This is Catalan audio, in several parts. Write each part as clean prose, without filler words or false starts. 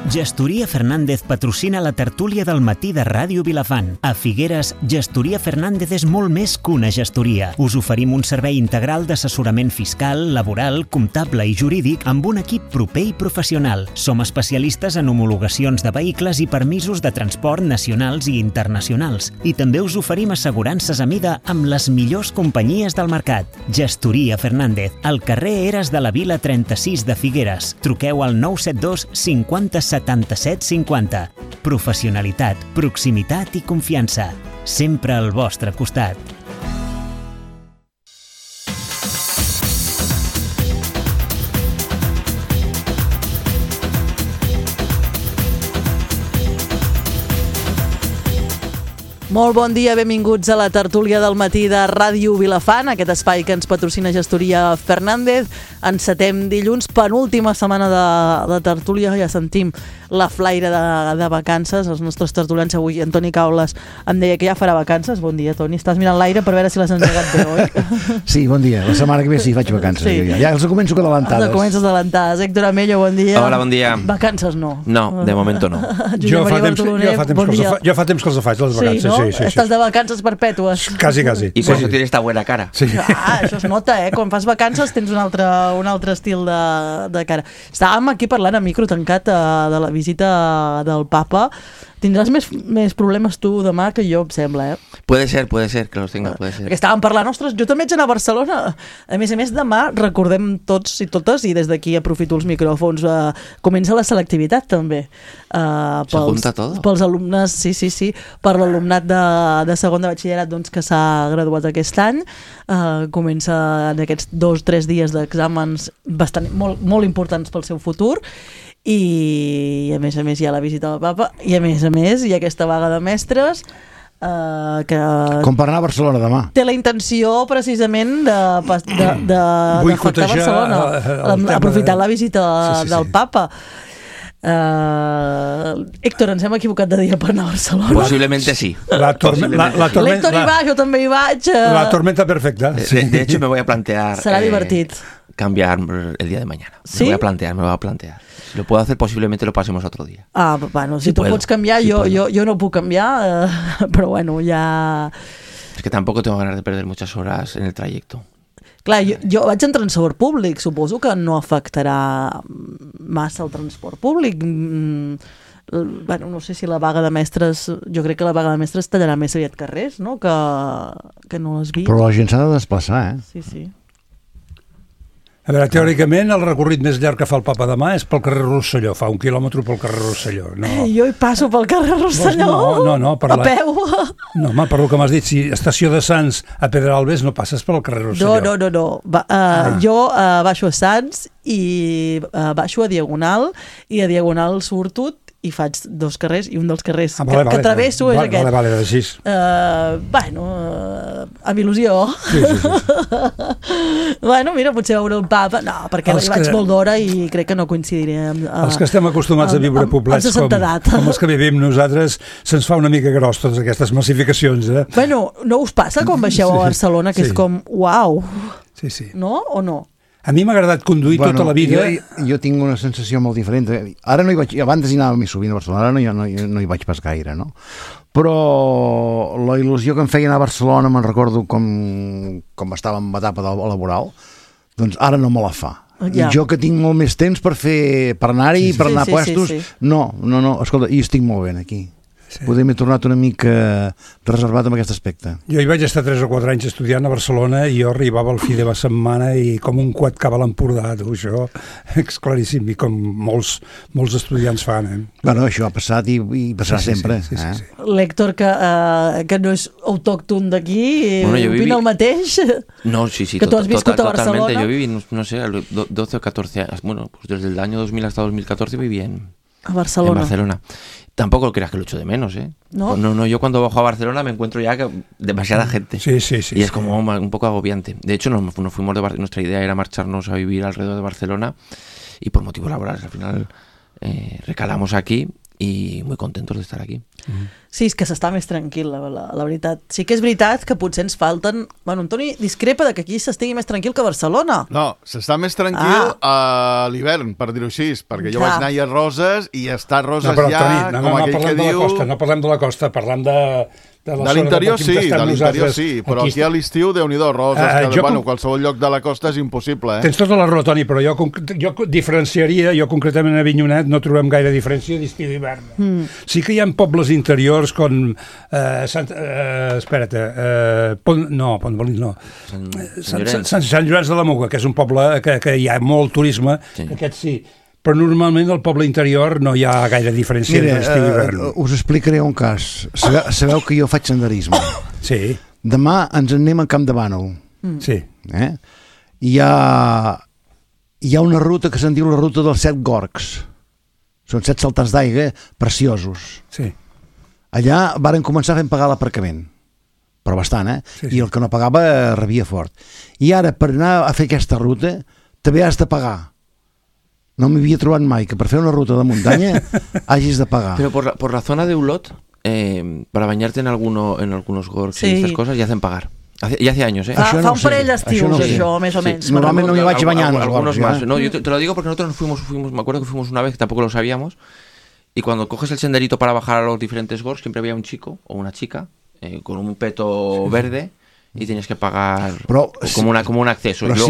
Gestoria Fernández patrocina la tertúlia del matí de Ràdio Vilafant. A Figueres, Gestoria Fernández és molt més que una gestoria. Us oferim un servei integral d'assessorament fiscal, laboral, comptable i jurídic amb un equip proper i professional. Som especialistes en homologacions de vehicles i permisos de transport nacionals i internacionals. I també us oferim assegurances a mida amb les millors companyies del mercat. Gestoria Fernández, al carrer Eres de la Vila 36 de Figueres. Truqueu al 972 50 77 50. Professionalitat, proximitat i confiança. Sempre al vostre costat. Molt bon dia, benvinguts a la tertúlia del matí de Ràdio Vilafant, aquest espai que ens patrocina Gestoria Fernández. Encetem dilluns, penúltima setmana de tertúlia, ja sentim la flaire de vacances. Els nostres tertulians avui, Antoni Caules, em deia que ja farà vacances. Bon dia, Toni. Estàs mirant l'aire per veure si les has engegat bé, oi? Sí, bon dia. La setmana que ve sí faig vacances. Sí. Ja els començo adelantades. Els comences adelantades. Héctor Amello, bon dia. Hola, bon dia. Vacances no. No, de momento no. Jo fa temps que els faig, les vacances. Sí, no? Sí. Estàs de vacances perpètues. Quasi. I per això tienes esta buena cara. Sí. Això es nota, Quan fas vacances tens un altre estil de cara. Estàvem aquí parlant a micro tancat de la visita del Papa. Tindràs més problemes tu demà que jo, em sembla, Puede ser que los tenga, puede ser. Perquè estàvem parlant, ostres, jo també haig d'anar a Barcelona. A més, demà recordem tots i totes, i des d'aquí aprofito els micròfons, comença la selectivitat també. Se junta tot? Pels alumnes, sí, per l'alumnat de segon de batxillerat doncs, que s'ha graduat aquest any. Comença en aquests 2-3 dies d'exàmens molt importants pel seu futur. I a més hi ha la visita del Papa i a més hi ha aquesta vaga de mestres que com per anar a Barcelona demà té la intenció precisament d'afectar Barcelona aprofitant la visita del Papa. Héctor, ens hem equivocat de dia per anar a Barcelona? Posiblemente sí. L'Héctor hi va, jo també hi vaig. La tormenta perfecta. De hecho me voy a plantear serà divertit cambiar el día de mañana. ¿Sí? Me voy a plantear. Si lo puedo hacer, posiblemente lo pasemos otro día. Bueno, si tu pots canviar, yo no puc canviar, però bueno, ja... Es que tampoco tengo ganas de perder muchas horas en el trayecto. Clar, jo vaig en transport públic, suposo que no afectarà massa el transport públic. Bueno, no sé si la vaga de mestres, jo crec que la vaga de mestres tallarà més aviat carrers, no? Que no les vi. Però la gent s'ha de desplaçar, Sí. A veure, teòricament el recorrit més llarg que fa el Papa demà és pel carrer Rosselló, fa 1 quilòmetre pel carrer Rosselló. No. Jo hi passo pel carrer Rosselló no, a peu. No, home, per lo que m'has dit, si estació de Sants a Pedralbes no passes pel carrer Rosselló. No. Jo baixo a Sants i baixo a Diagonal i a Diagonal surto i faig 2 carrers i un dels carrers que travesso és aquest. Vale, així. Amb il·lusió. Sí. Bueno, mira, potser veure el Papa. No, perquè hi vaig molt d'hora i crec que no coincidiré amb... Els que estem acostumats a viure poblets com els que vivim nosaltres, se'ns fa una mica gros totes aquestes massificacions, Bueno, no us passa quan baixeu a Barcelona que és com, uau. Sí. No o no? A mi m'ha agradat conduir tota la vida. Jo tinc una sensació molt diferent. Ara no hi vaig... Abans hi anava més sovint a Barcelona, ara no hi vaig pas gaire, no? Però la il·lusió que em feia anar a Barcelona, me'n recordo com estava en etapa laboral, doncs ara no me la fa. I jo que tinc molt més temps per anar-hi, per anar a puestos, no, escolta, i estic molt bé aquí. Poder m'he tornat una mica reservat amb aquest aspecte. Jo hi vaig estar 3 o 4 anys estudiant a Barcelona i jo arribava al fi de la setmana i com un coet cava a l'Empordà, això és claríssim, i com molts estudiants fan. Bueno, això ha passat i passarà sempre. Sí. L'Héctor, que no és autòcton d'aquí, opina el mateix? No, sí, que tu has viscut a Barcelona. Totalmente, yo viví, no sé, 12 o 14 años, bueno, pues desde el año 2000 hasta 2014 viví en Barcelona. Tampoco creas que lo echo de menos, No, yo cuando bajo a Barcelona me encuentro ya demasiada gente. Sí. Y es como un poco agobiante. De hecho, nos fuimos de Barcelona, nuestra idea era marcharnos a vivir alrededor de Barcelona y por motivos laborales al final recalamos aquí y muy contentos de estar aquí. Sí, és que s'està més tranquil, la veritat. Sí que és veritat que potser ens falten... Bueno, Antoni discrepa de que aquí s'estigui més tranquil que a Barcelona. No, s'està més tranquil a l'hivern, per dir-ho així, perquè jo vaig anar a Roses i està a Roses però, ja, Toni, com aquell que diu... No parlem de la costa, parlem de l'interior sí, però aquí a l'estiu, Déu-n'hi-do, Roses, qualsevol lloc de la costa és impossible. Tens tota la raó, Toni, però jo diferenciaria, jo concretament a Avinyonet no trobem gaire diferència d'estiu i d'hivern. Sí que hi ha pobles interiors com Sant Llorenç de la Muga, que és un poble que hi ha molt turisme, aquest sí. Però normalment al poble interior no hi ha gaire diferència entre estiu i hivern. Us explicaré un cas. Sabeu que jo faig senderisme. Sí. Demà ens en anem a Camp de Bànol. Sí. Hi ha una ruta que se'n diu la ruta dels 7 gorgs. Són 7 saltants d'aigua preciosos. Sí. Allà varen començar fent pagar l'aparcament. Però bastant, Sí. I el que no pagava rebia fort. I ara, per anar a fer aquesta ruta, també has de pagar. No m'havia trobat mai que per fer una ruta de muntanya hagis de pagar. Pero por la zona de Ulot, para bañarte en algunos gorgs y estas cosas, ya hacen pagar. Ya hace años, Fa un parell d'estius, això, més o menys. Normalment no m'hi vaig banyar. Algunos más. No, yo te lo digo porque nosotros fuimos, me acuerdo que fuimos una vez, que tampoco lo sabíamos, y cuando coges el senderito para bajar a los diferentes gorgs, siempre había un chico o una chica con un peto verde, i tenies que pagar com un acceso. Però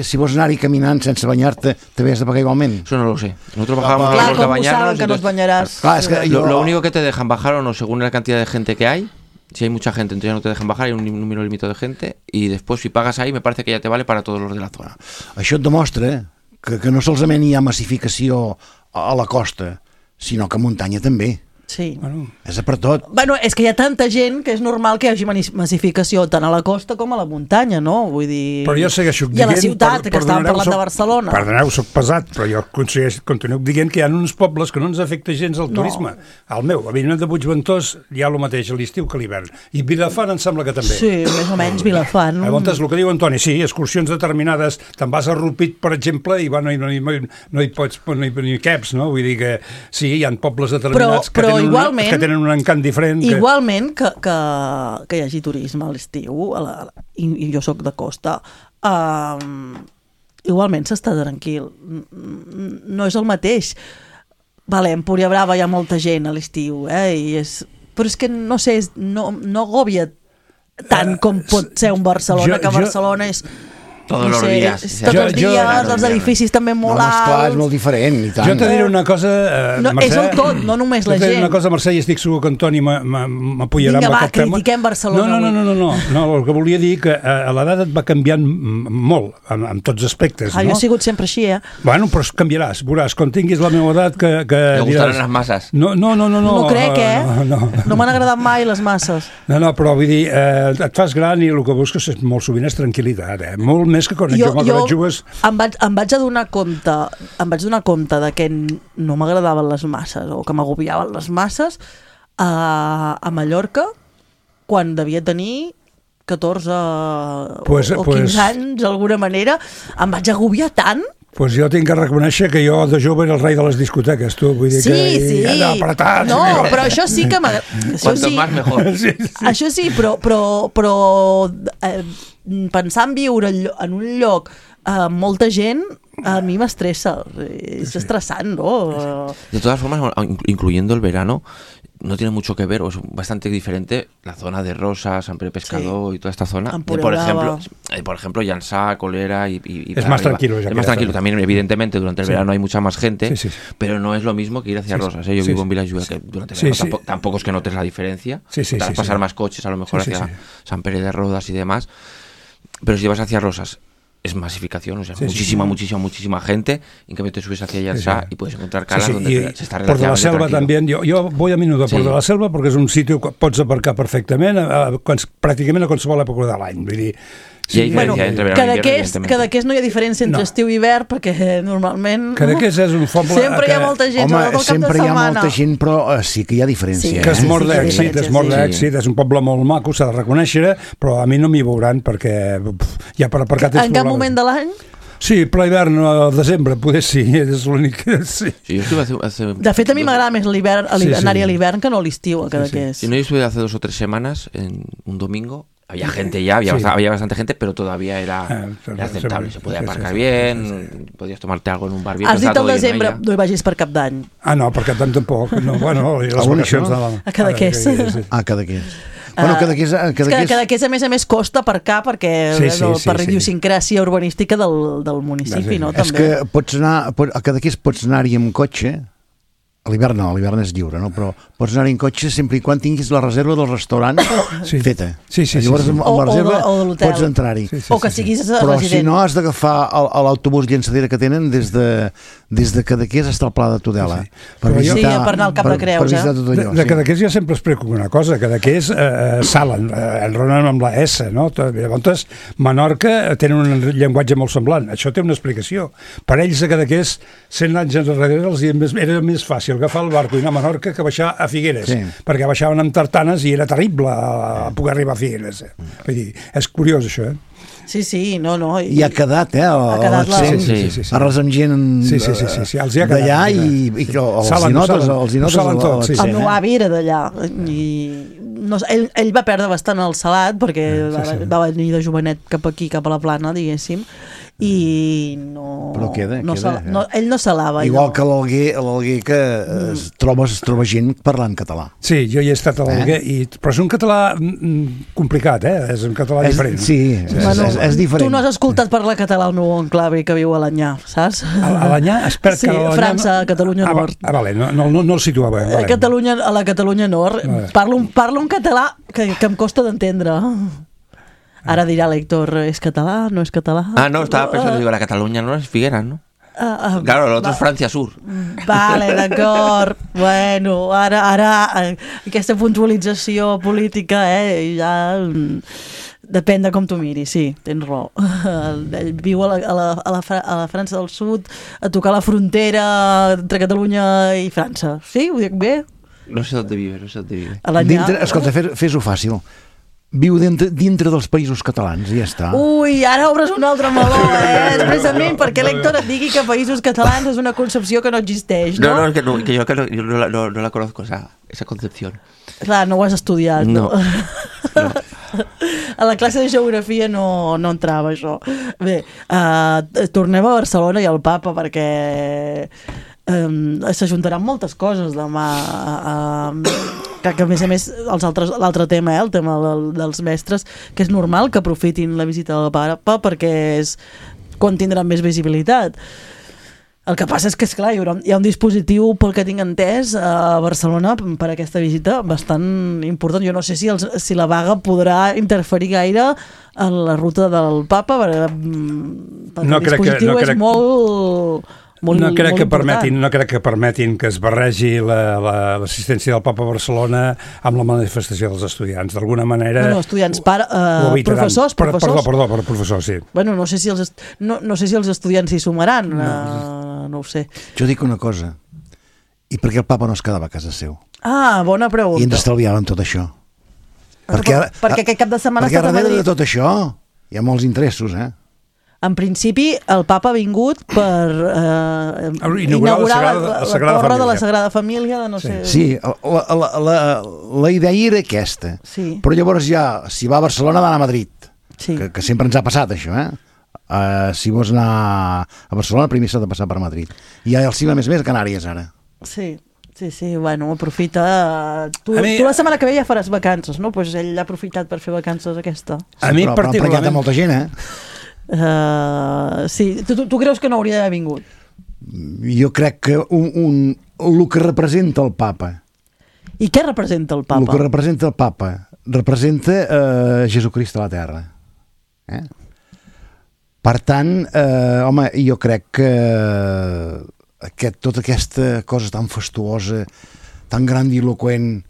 si vols anar-hi caminant sense banyar-te, també has de pagar igualment. Eso no lo sé. Nosotros bajábamos de bañarnos. Que no os bañarás. Lo único que te dejan bajar o no, según la cantidad de gente que hay, si hay mucha gente, entonces ya no te dejan bajar, hay un número limitado de gente, y después si pagas ahí, me parece que ya te vale para todos los de la zona. Això et demostra que no solament hi ha massificació a la costa, sinó que a muntanya també. Sí. És per tot. Bueno, és que hi ha tanta gent que és normal que hi hagi massificació tant a la costa com a la muntanya, no? Vull dir... Però jo segueixo dient... I a la ciutat, que estàvem parlant de Barcelona. Perdoneu, soc pesat, però jo continuo dient que hi ha uns pobles que no ens afecta gens el turisme. El meu, a Avinyonet de Puigventós, hi ha el mateix a l'estiu que a l'hivern. I Vilafant em sembla que també. Sí, més o menys Vilafant. Llavors, el que diu Antoni, sí, excursions determinades, te'n vas a Rupit, per exemple, i no hi caps, no? Vull dir que sí, hi ha pobles determinats que tenen un encant diferent. Igualment que hi hagi turisme a l'estiu, i jo sóc de costa, igualment s'està tranquil. No és el mateix. Vale, a Empúria Brava hi ha molta gent a l'estiu, però és que, no sé, no agòbia tant com pot ser un Barcelona, que Barcelona és... Tots els dies. Tots els dies, els edificis també molt alts. Esclar, és molt diferent, i tant. Jo t'he diré una cosa, Mercè. És el tot, no només la gent. Jo t'he diré una cosa, Mercè, i estic segur que Antoni m'apoyarà amb aquest tema. Critiquem Barcelona. No, el que volia dir que a l'edat et va canviant molt, en tots aspectes. Jo he sigut sempre així, Bueno, però canviaràs, veuràs, quan tinguis la meva edat que diràs... gustaran les masses. No. No crec, No m'han agradat mai les masses. No, però vull dir, et fas gran i el que busques molt sovint és tranquil·litat, molt més que quan jo jugues... Em vaig donar compte de que no m'agradaven les masses o que m'agobiaven les masses a Mallorca quan devia tenir 14 o 15 anys, d'alguna manera. Em vaig agobiar tant. Pues jo tinc que reconèixer que jo de jove era el rei de les discoteques, tu. Vull dir sí. Allà apretats. No, però això sí que m'agrada. Quanto más mejor. Això sí, però pensar en viure en un lloc amb molta gent a mi m'estressa. És estressant, ¿no? De todas formas, incluyendo el verano, no tiene mucho que ver, o es bastante diferente la zona de Rosas, San Pere Pescador y toda esta zona. Por ejemplo, Llançà, Colera y es más tranquilo. Es más tranquilo. También, evidentemente, durante el verano hay mucha más gente, pero no es lo mismo que ir hacia Rosas. Yo vivo en Vilajuel, que durante el verano tampoco es que notes la diferencia. Te vas a pasar más coches, a lo mejor hacia San Pere de Rodas y demás. Pero si vas hacia Rosas, es masificación, o sea, muchísima gente, en cambio te subes hacia Llançà y puedes encontrar calas donde se está relativamente Port de la Selva también, yo voy a menudo a Port de la Selva perquè és un sitio que pots aparcar perfectament pràcticament a qualsevol època de l'any, vull dir, Cadaqués no hi ha diferència entre estiu i hivern perquè normalment Cadaqués és un poble sempre hi ha molta gent, sempre hi ha molta gent, però sí que hi ha diferència, que és mort d'èxit, és un poble molt maco, s'ha de reconèixer, però a mi no m'hi veuran perquè ja per aparcar en cap moment de l'any? Sí, ple hivern al desembre, poder sí, és l'únic... Sí. Sí, yo estuve hace... De fet, a mi m'agrada més anar-hi a l'hivern que no a l'estiu, a Cadaqués. Sí, no, yo estuve hace 2 o 3 semanas, en un domingo, había gente ya, había bastante gente, pero todavía era aceptable, se podía aparcar bien, podías tomarte algo en un bar bien. Has dit al desembre, no hi vagis per Cap d'Any. No, per Cap d'Any tampoc, no, bueno, les vacacions de... A Cadaqués. A Cadaqués. Bueno, Cadaqués a més costa aparcar perquè per idiosincràsia urbanística del municipi, no? És que a Cadaqués pots anar-hi amb cotxe. A l'hivern no, a l'hivern és lliure, no? Però pots anar-hi en cotxe sempre i quan tinguis la reserva del restaurant feta. Llavors amb la reserva pots entrar-hi. O que siguis resident. Però si no has d'agafar l'autobús llançadera que tenen des de Cadaqués fins al Pla de Tudela. Per anar al Cap de Creus. De Cadaqués jo sempre explico una cosa. Cadaqués salen, enronen amb la S, no? Llavors, Menorca tenen un llenguatge molt semblant. Això té una explicació. Per ells a Cadaqués, 100 anys enrere era més fàcil agafar el barco i anar a Menorca que baixar a Figueres, perquè baixaven amb tartanes i era terrible poder arribar a Figueres. Vull dir, és curiós això, Sí, no. I ha quedat, ha quedat arrels amb gent d'allà i els inotes. El meu avi era d'allà i ell va perdre bastant el salat perquè va venir de jovenet cap aquí, cap a la Plana, diguéssim, i no... Però queda. Ell no salava. Igual que l'Alguer que es troba gent parlant català. Sí, jo hi he estat a l'Alguer, però és un català complicat, és un català diferent. Sí, és diferent. Tu no has escoltat parlar català el meu oncle que viu a l'Anyà, saps? A l'Anyà? Sí, França, Catalunya Nord. Vale, no el situava. A la Catalunya Nord. Parlo un català que em costa d'entendre. Ara dirà l'Héctor, ¿es català? ¿No es català? No, estaba pensando, digo, la Cataluña no es Figueras, ¿no? Claro, el otro es Francia Sur. Vale, d'acord. Bueno, ara aquesta puntualització política, ja... Depèn de com tu miris, sí, tens raó. Ell viu a la França del Sud, a tocar la frontera entre Catalunya i França. Sí, ho dic bé? No sé on vive. Escolta, fes-ho fàcil. Viu dintre dels països catalans i ja està. Ui, ara obres un altre meló, precisament perquè l'Héctor et digui que països catalans és una concepció que no existeix, no? No, que yo no la conozco, esa concepción. Clar, no ho has estudiat, no? A la classe de geografia no entrava això. Bé, tornem a Barcelona i al Papa perquè s'ajuntaran moltes coses demà, que a més l'altre tema, el tema dels mestres, que és normal que aprofitin la visita del Papa perquè és quan tindran més visibilitat. El que passa és que, esclar, hi ha un dispositiu, pel que tinc entès, a Barcelona per aquesta visita bastant important. Jo no sé si la vaga podrà interferir gaire en la ruta del Papa, perquè el dispositiu és molt... No crec que permetin que es barregi l'assistència del Papa a Barcelona amb la manifestació dels estudiants. D'alguna manera... No, estudiants, professors. Perdó, professors, sí. Bueno, no sé si els estudiants s'hi sumaran, no ho sé. Jo dic una cosa, i per què el Papa no es quedava a casa seu? Bona pregunta. I ens estalviaven tot això. Perquè aquest cap de setmana... Perquè darrere de tot això hi ha molts interessos, En principi, el Papa ha vingut per inaugurar la torre de la Sagrada Família de no sé... Sí, la idea era aquesta. Sí. Però llavors ja, si va a Barcelona, va anar a Madrid. Sí. Que sempre ens ha passat, això, si vols anar a Barcelona, primer s'ha de passar per Madrid. I el cim, a més, Canàries, ara. Sí, bueno, aprofita... Tu la setmana que ve ja faràs vacances, no? Doncs ell ha aprofitat per fer vacances aquesta. A mi particularment... Però hi ha molta gent, sí, tu creus que no hauria d'haver vingut? Jo crec que el que representa el Papa. I què representa el Papa? El que representa el Papa representa Jesucrist a la Terra. Per tant, home, jo crec que tota aquesta cosa tan fastuosa, tan grandiloquent,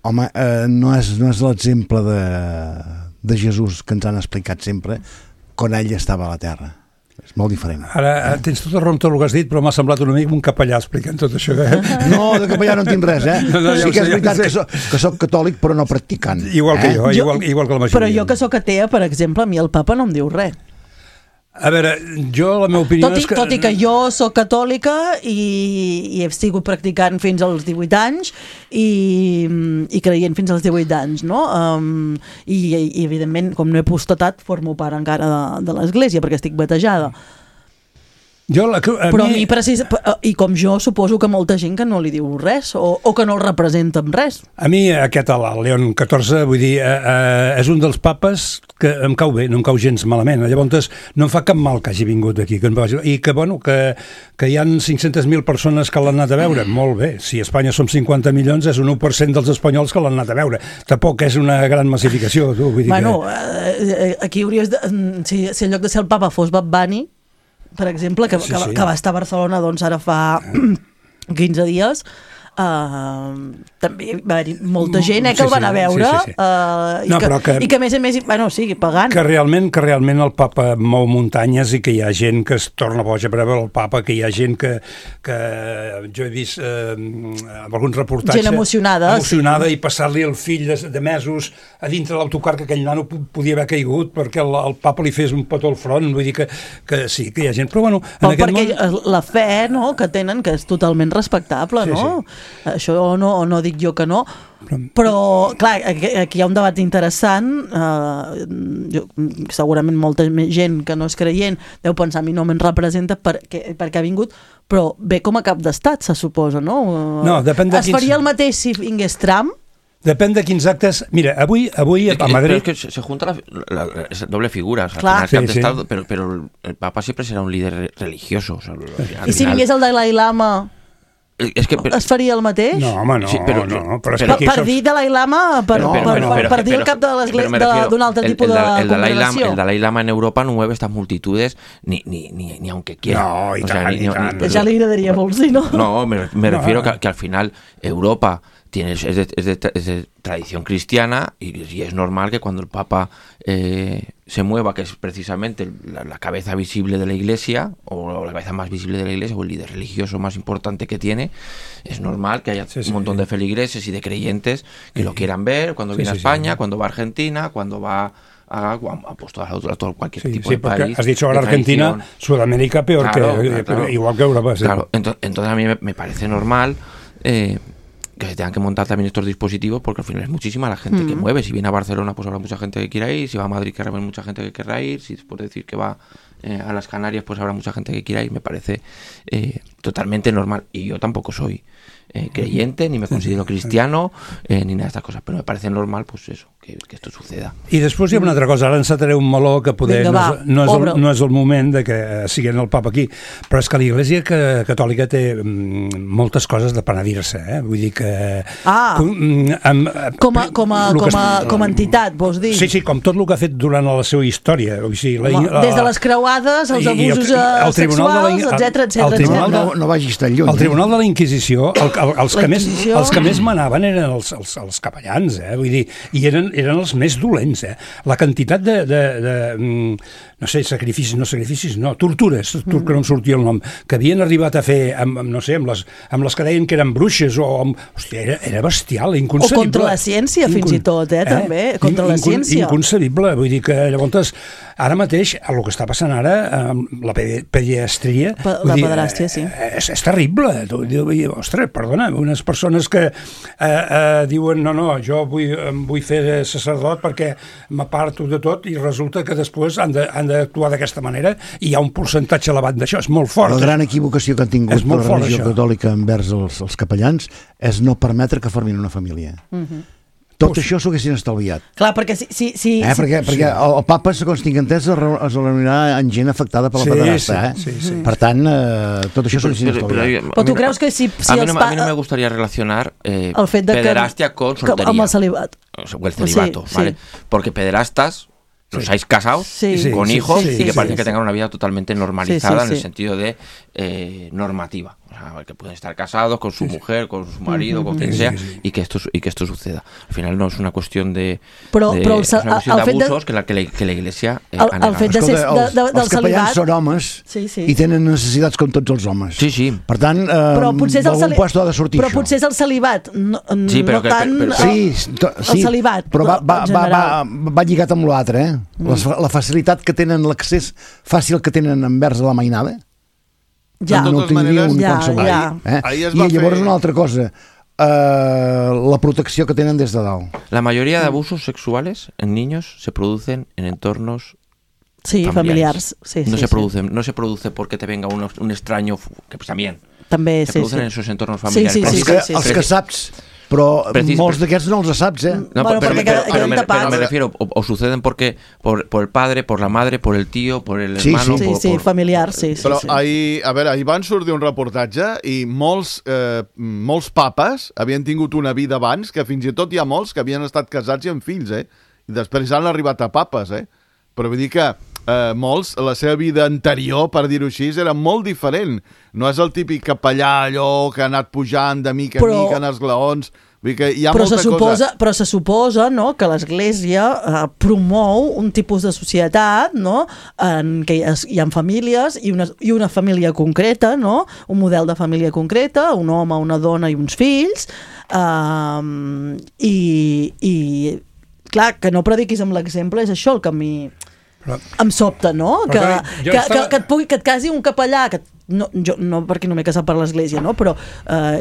home, no és l'exemple de Jesús que ens han explicat sempre quan ell estava a la Terra. És molt diferent. Ara tens tota raó amb tot el que has dit, però m'ha semblat una mica un capellà explicant tot això. No, de capellà no en tinc res, Sí que és veritat que soc catòlic, però no practicant. Igual que jo, igual que la majoria. Però jo que soc atea, per exemple, a mi el Papa no em diu res. A veure, jo la meva opinió és que... Tot i que jo sóc catòlica i he sigut practicant fins als 18 anys i creient fins als 18 anys, no? I evidentment, com no he apostatat, formo part encara de l'església perquè estic batejada. Però a mi i com jo suposo que molta gent que no li diu res o que no el representa amb res. A mi aquest, el León XIV, vull dir, és un dels papes que em cau bé, no em cau gens malament. Llavors no em fa cap mal que hagi vingut aquí i que, bueno, que hi ha 500.000 persones que l'han anat a veure. Molt bé, si a Espanya som 50 milions és un 1% dels espanyols que l'han anat a veure. Tampoc és una gran massificació, tu, vull dir aquí hauries de... Si en lloc de ser el papa fos Bad Bunny, per exemple, que va estar a Barcelona doncs ara fa 15 dies, també va haver molta gent que el van a veure i que a més pagant. Que realment el papa mou muntanyes i que hi ha gent que es torna boja per veure el papa, que hi ha gent que jo he vist alguns reportatges gent emocionada i passar-li el fill de mesos a dintre l'autocar, que aquell nano podia haver caigut perquè el papa li fes un petó al front, vull dir que sí, que hi ha gent, però bueno, perquè la fe, no?, que tenen, que és totalment respectable, no? Això no dic jo que no, però clar, aquí hi ha un debat interessant. Segurament molta gent que no és creient deu pensar a mi no me'n representa perquè ha vingut, però ve com a cap d'estat, se suposa, no? No, depèn de es faria el mateix si vingués Trump? Depèn de quins actes... Mira, avui a Madrid... Pero es que se junta la doble figura. O sea, claro, Estado, pero el Papa siempre será un líder religioso. O sea, y si vingués el Dalai Lama... es faria el mateix? No, home, no. Sí, no, per dir Dalai Lama, per dir el cap de l'església d'un altre tipus de congregació. El Dalai Lama en Europa no mueve estas multitudes ni aunque quiera. No, i tant. Ja li agradaria molt, sí, no? No, me refiero que al final Europa es de tradición cristiana y es normal que cuando el Papa se mueva, que es precisamente la cabeza visible de la Iglesia, o la cabeza más visible de la Iglesia, o el líder religioso más importante que tiene, es normal que haya un montón de feligreses y de creyentes que lo quieran ver cuando viene a España, cuando va a Argentina, cuando va a todo cualquier tipo de país. Has dicho ahora Argentina, Sudamérica peor, claro. Igual que Europa. Sí. Claro, entonces a mí me parece normal que se tengan que montar también estos dispositivos, porque al final es muchísima la gente que mueve. Si viene a Barcelona, pues habrá mucha gente que quiera ir. Si va a Madrid, que habrá mucha gente que querrá ir. Si después de decir que va a las Canarias, pues habrá mucha gente que quiera ir. Me parece totalmente normal. Y yo tampoco soy creyente, ni me considero cristiano, ni nada de estas cosas, però me parece normal, pues eso, que esto suceda. I després hi ha una altra cosa, ara encetaré un meló que poder no és el moment de que siguin el papa aquí, però és que l'Església Catòlica té moltes coses de penedir-se, vull dir que... Com a entitat, vols dir? Sí, com tot el que ha fet durant la seva història. Des de les creuades, els abusos sexuals, etc. No vagis tan lluny. El Tribunal de la Inquisició, els que més manaven eren els capellans, vull dir, i eren els més dolents, La quantitat de no sé, sacrificis, tortures, que no em sortia el nom, que havien arribat a fer, amb les que deien que eren bruixes, hòstia, era bestial, inconcebible. O contra la ciència, fins i tot, també, contra la ciència. Inconcebible, vull dir que llavors, ara mateix, el que està passant ara, la pediatria... La pederàstia, sí. És terrible. Ostres, perdona, unes persones que diuen, no, jo vull fer sacerdot perquè m'aparto de tot, i resulta que després han d'actuar d'aquesta manera, i hi ha un percentatge elevat d'això, és molt fort. La gran equivocació que han tingut la religió catòlica envers els capellans és no permetre que formin una família. Tot això s'ho haguessin estalviat. Clar, perquè perquè el papa, segons tinc entès, es reunirà amb gent afectada per la pederasta, Per tant, tot això s'ho haguessin estalviat. Però tu creus que si a mí no me gustaría relacionar pederastia con soltería. Amb el celibat. O el celibato, ¿vale? Porque pederastas los hayáis casados con hijos y que parece que tengan una vida totalmente normalizada en el sentido de normativa. O sea, que pueden estar casados con su mujer, con su marido, con quien sea, y que esto suceda. Al final no es una cuestión de abusos que la Iglesia ha negat. El fet els capellans són homes i tenen necessitats com tots els homes. Sí. Per tant, d'algun puesto ha de sortir això. Però potser és el celibat, no tant el celibat. Però va lligat amb l'altre, la facilitat que tenen, l'accés fàcil que tenen envers la mainada. Ja, no tindria un qualsevol. I llavors una altra cosa, la protecció que tenen des de dalt. La mayoría de abusos sexuales en niños se producen en entornos familiares. No se produce porque te venga un extraño, que pues también. Se producen en esos entornos familiares. Els que saps, però molts d'aquests no els saps, No, pero me refiero, o suceden porque por el padre, por la madre, por el tío, por el hermano. Sí, familiar, sí. Però ahir van sortir un reportatge i molts papes havien tingut una vida abans, que fins i tot hi ha molts que havien estat casats i amb fills, i després han arribat a papes, Però vull dir que molts, la seva vida anterior, per dir-ho així, era molt diferent. No és el típic capellà allò que ha anat pujant de mica en mica en els glaons. Vull dir que hi ha molta cosa... Però se suposa, no?, que l'Església promou un tipus de societat, no?, en què hi ha famílies i una família concreta, no?, un model de família concreta, un home, una dona i uns fills, i clar, que no prediquis amb l'exemple és això el que a mi em sobta, no? Que et casi un capellà, jo no perquè no m'he casat per l'església, no? Però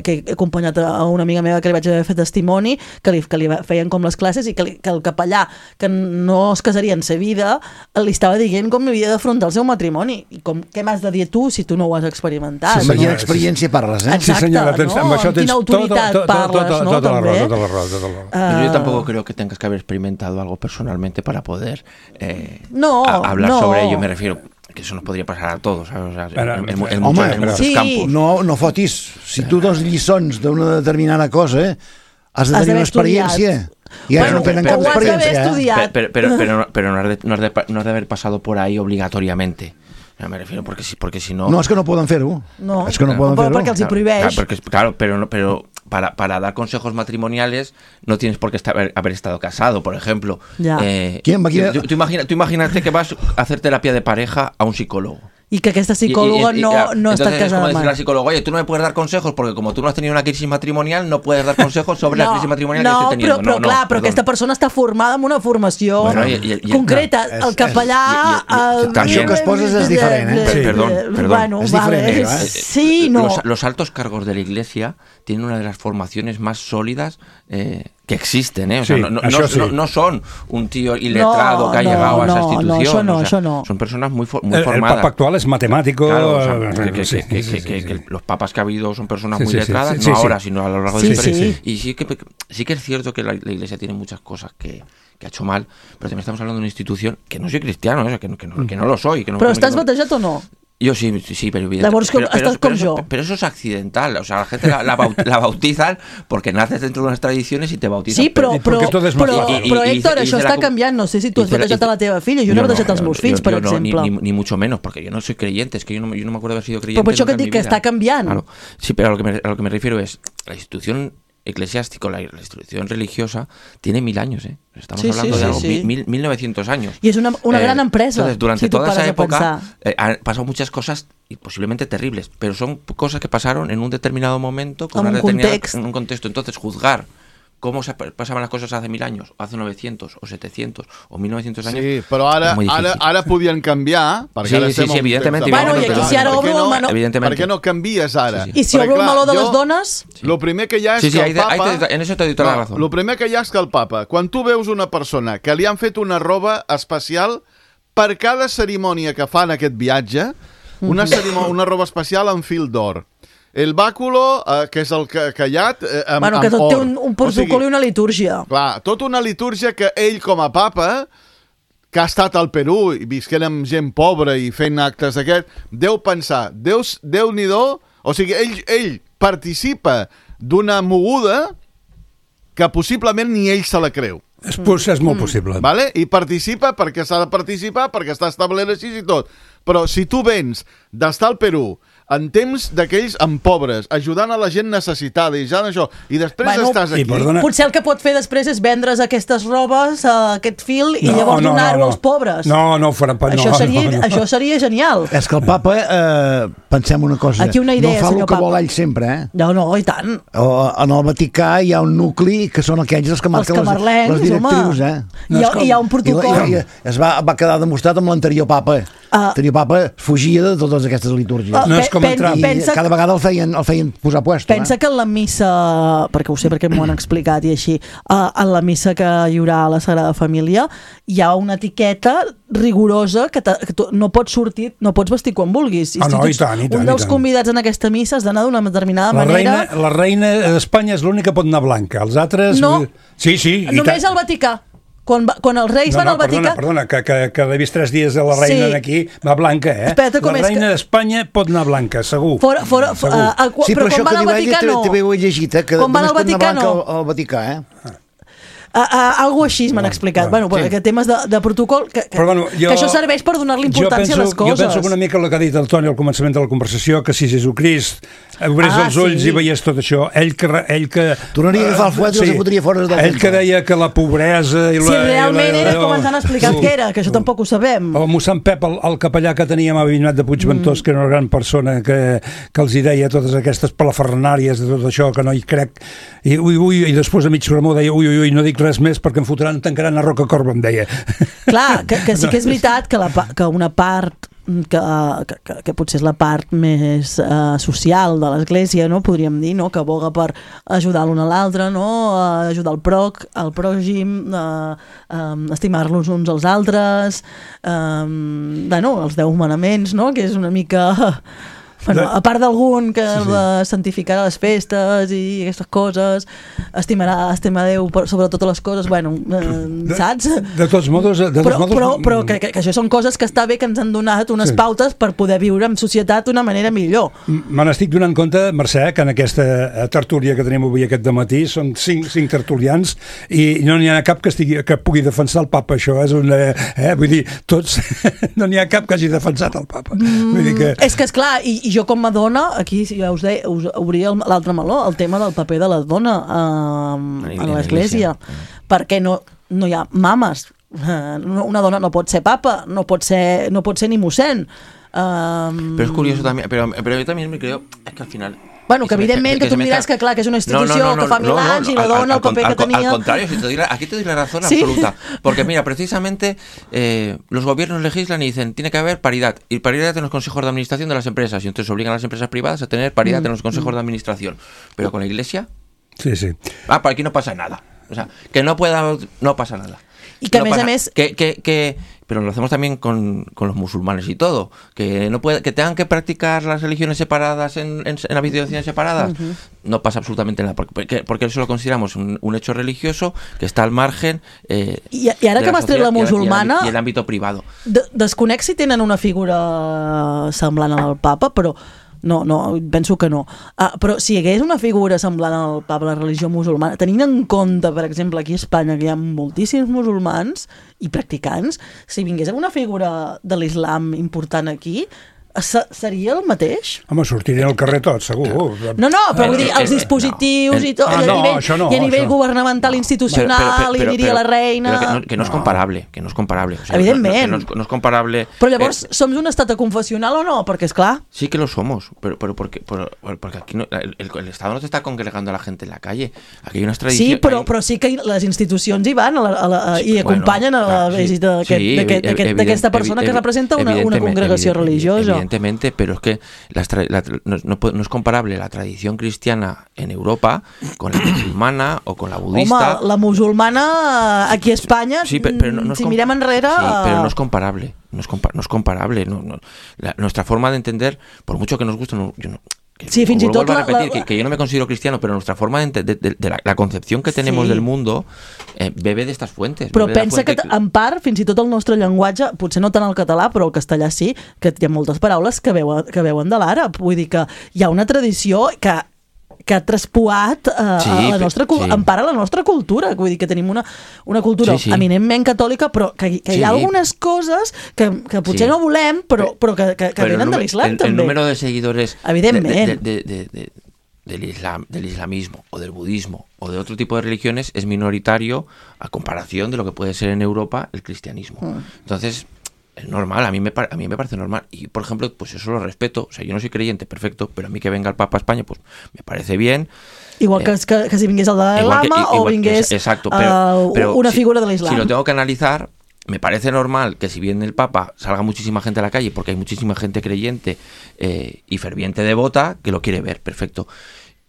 que he acompanyat a una amiga meva que li vaig haver fet testimoni, que li feien com les classes i que el capellà que no es casaria en sa vida li estava dient com havia d'afrontar el seu matrimoni i què m'has de dir tu si tu no ho has experimentat. Amb quina experiència parles, Exacte, no? Amb quina autoritat parles, no? Tota la raó. Yo tampoco creo que tengas que haber experimentado algo personalmente para poder hablar sobre ello, me refiero que eso nos podría pasar a todos, ¿sabes? O sea, en muchos campos. No fotis. Si tu dos lliçons d'una determinada cosa, has de tenir una experiència. I ara no tenen cap experiència. Pero no has de haber pasado por ahí obligatoriamente. Me refiero porque si no... No, és que no poden fer-ho. No, perquè els hi prohibeix. Claro, pero para dar consejos matrimoniales no tienes por qué haber estado casado, por ejemplo. Tú imagínate que vas a hacer terapia de pareja a un psicólogo. Y que esta psicóloga no está casada. Es como decirle al psicólogo, oye, tú no me puedes dar consejos porque como tú no has tenido una crisis matrimonial, no puedes dar consejos sobre la crisis matrimonial que estoy teniendo. Però aquesta persona està formada amb una formació concreta. El capellà... Això que es poses és diferent, Perdón. És diferent, Sí, no. Los altos cargos de la Iglesia tienen una de las formaciones más sólidas que existen, O sea, no son un tío iletrado que ha llegado a esa institución. Això no. Son personas muy formadas. El Papa actual es matemático. Claro, que los papas que ha habido son personas muy letradas, no ahora, sino a lo largo de la historia. Y sí que es cierto que la Iglesia tiene muchas cosas que ha hecho mal, pero también estamos hablando de una institución que no soy cristiano, que no lo soy. Però estàs batejat o no? Yo sí, pero evidentemente. Pero eso es accidental. O sea, la gente la bautizan porque naces dentro de unas tradiciones y te bautizan. Sí, però Héctor, això està canviant. No sé si tu has batejat a la teva filla. Jo no he batejat als meus fills, per exemple. Ni mucho menos, porque yo no soy creyente. Es que yo no me acuerdo de haber sido creyente. Però per això que et dic que està canviant. Claro. Sí, pero a lo que me refiero es la institución eclesiástico, la institución religiosa, tiene 1000 años, Estamos hablando de algo, 1900 años. Y es una gran empresa. Entonces, durante toda esa época han pasado muchas cosas y posiblemente terribles, pero son cosas que pasaron en un determinado momento, en un contexto. Entonces, juzgar cómo se pasaban las cosas hace 1000 años, o hace 900, o 700, o 1900 años. Sí, però ara podien canviar. Sí, evidentment. Bueno, i aquí si ara obro el meló... Per què no canvies ara? I si obro el meló de les dones... Lo primer que hi ha és que el Papa... En eso te doy toda la razón. Lo primer que hi ha és que el Papa, quan tu veus una persona que li han fet una roba especial per cada cerimònia que fa en aquest viatge, una roba especial amb fil d'or. El bàculo, que és el callat, amb que tot té un protocol i una litúrgia. Clar, tota una litúrgia que ell, com a papa, que ha estat al Perú i visquent amb gent pobra i fent actes d'aquest, deu pensar, Déu-n'hi-do, o sigui, ell participa d'una moguda que possiblement ni ell se la creu. És molt possible. Vale? I participa perquè s'ha de participar, perquè està establert així i tot. Però si tu vens d'estar al Perú, en temps d'aquells amb pobres, ajudant a la gent necessitada i ja això, i després estàs aquí. Potser el que pot fer després és vendre's aquestes robes, aquest fil, i llavors donar-ho als pobres. No ho farà pas. Això seria genial. És que el papa, pensem una cosa, aquí una idea, no fa el que vol ell sempre, No, i tant. En el Vaticà hi ha un nucli que són aquells que marquen les directrius, Hi ha un protocol. I es va quedar demostrat amb l'anterior papa. L'anterior papa fugia de totes aquestes litúrgies. No és com entrar. I cada vegada el feien posar puesto. Pensa que en la missa, perquè ho sé perquè m'ho han explicat i així, en la missa que hi haurà a la Sagrada Família hi ha una etiqueta rigorosa que no pots sortir, no pots vestir quan vulguis. I tant. Un dels convidats en aquesta missa has d'anar d'una determinada manera. La reina d'Espanya és l'única que pot anar blanca. Els altres... No. Sí, només al Vaticà. Quan els reis van al Vaticà... Perdona, que he vist 3 dies de la reina aquí, va blanca, La reina d'Espanya pot anar blanca, segur. Però quan van al Vaticà no. També ho he llegit, que només pot anar blanca al Vaticà, algo així m'han explicat. Que temes de protocol, que això serveix per donar-li importància a les coses. Jo penso que una mica el que ha dit el Toni al començament de la conversació, que si Jesucrist obrés els ulls i veiés tot això, ell que... Tornaria a agafar el fuet i els fotria fora del ell que deia que la pobresa... Si realment era com ens han explicat que era, que això tampoc ho sabem. El mossèn Pep, el capellà que teníem a Avinyonet de Puigventós, que era una gran persona que els hi deia totes aquestes palafernàries de tot això, que no hi crec, i després a mig sermó deia ui, no dic res més perquè em tancaran a Roca Corba, em deia. Clar, que sí que és veritat que una part que potser és la part més social de l'Església, no? Podríem dir, no? Que aboga per ajudar l'un a l'altre, no? Ajudar el pròxim, estimar-los uns als altres, els 10 manaments, no? Que és una mica... a part d'algun que santificarà les festes i aquestes coses, estimar Déu sobre totes les coses, saps? De tots modos... Però que això són coses que està bé que ens han donat unes pautes per poder viure en societat d'una manera millor. Me n'estic donant compte, Mercè, que en aquesta tertúlia que tenim avui aquest dematí són 5 tertulians i no n'hi ha cap que pugui defensar el papa, això és una... vull dir, tots... no n'hi ha cap que hagi defensat el papa. És que, esclar, i jo com a dona, aquí ja us obria l'altre meló, el tema del paper de la dona a l'Església. Perquè no hi ha mames. Una dona no pot ser papa, no pot ser ni mossèn. Pero es curioso también, pero yo también me creo, es que al final... que evidentment que tu em diràs que clar, que és una institució que fa 1000 anys i la dona el paper que tenía... Al contrario, aquí te doy la razón absoluta. Porque mira, precisamente los gobiernos legislan y dicen tiene que haber paridad. Y paridad en los consejos de administración de las empresas. Y entonces obligan a las empresas privadas a tener paridad en los consejos de administración. Pero con la Iglesia... Sí. Por aquí no pasa nada. O sea, que no pasa nada. Y que a més... Pero lo hacemos también con los musulmanes y todo. Que tengan que practicar las religiones separadas en habitaciones separadas. No pasa absolutamente nada. Porque eso lo consideramos un hecho religioso que está al margen I ara que m'has tret la musulmana... I l'àmbit privado. Desconec si tenen una figura semblant al papa, però... No, penso que no. Però si hi hagués una figura semblant al papa, la religió musulmana, tenint en compte, per exemple, aquí a Espanya, que hi ha moltíssims musulmans i practicants, si vingués una figura de l'islam important aquí, seria el mateix? Home, sortirien al carrer tots, segur. No, però vull dir, els dispositius i tot, i a nivell governamental, institucional, i diria la reina... Que no és comparable, O sea, evidentment. No és comparable... Però llavors, som un estat confessional o no? Perquè, esclar... Sí que lo somos, pero porque aquí el Estado no te está congregando a la gente en la calle. Aquí hay unas tradicions... Sí, però sí que les institucions hi van i acompanyen a la visita d'aquesta persona que representa una congregació religiosa. Evidentemente, pero es que no es comparable la tradición cristiana en Europa con la musulmana o con la budista. Home, la musulmana aquí a Espanya, si mirem enrere... Sí, pero no es comparable. No es comparable. Nuestra forma de entender, por mucho que nos guste, sí, fins i tot que yo no me considero cristiano, pero nuestra forma de la concepción que tenemos del mundo bebe de estas fuentes. Però pensa que en part, fins i tot el nostre llenguatge, potser no tant el català, però el castellà sí, que hi ha moltes paraules que veuen de l'àrab. Vull dir que hi ha una tradició que ha traspuat empara la nostra cultura. Vull dir que tenim una cultura eminentment catòlica, però que hi ha algunes coses que potser no volem, però que venen de l'islam també. El número de seguidores evidentment del islamismo o del budismo o de otro tipo de religiones es minoritario a comparación de lo que puede ser en Europa el cristianismo. Entonces, es normal, a mí me parece normal. Y, por ejemplo, pues eso lo respeto. O sea, yo no soy creyente, perfecto, pero a mí que venga el Papa a España, pues me parece bien. Igual que si vingués el Dalai Lama o vingués una figura de l'islam. Si lo tengo que analizar, me parece normal que si viene el Papa salga muchísima gente a la calle, porque hay muchísima gente creyente y ferviente devota que lo quiere ver, perfecto.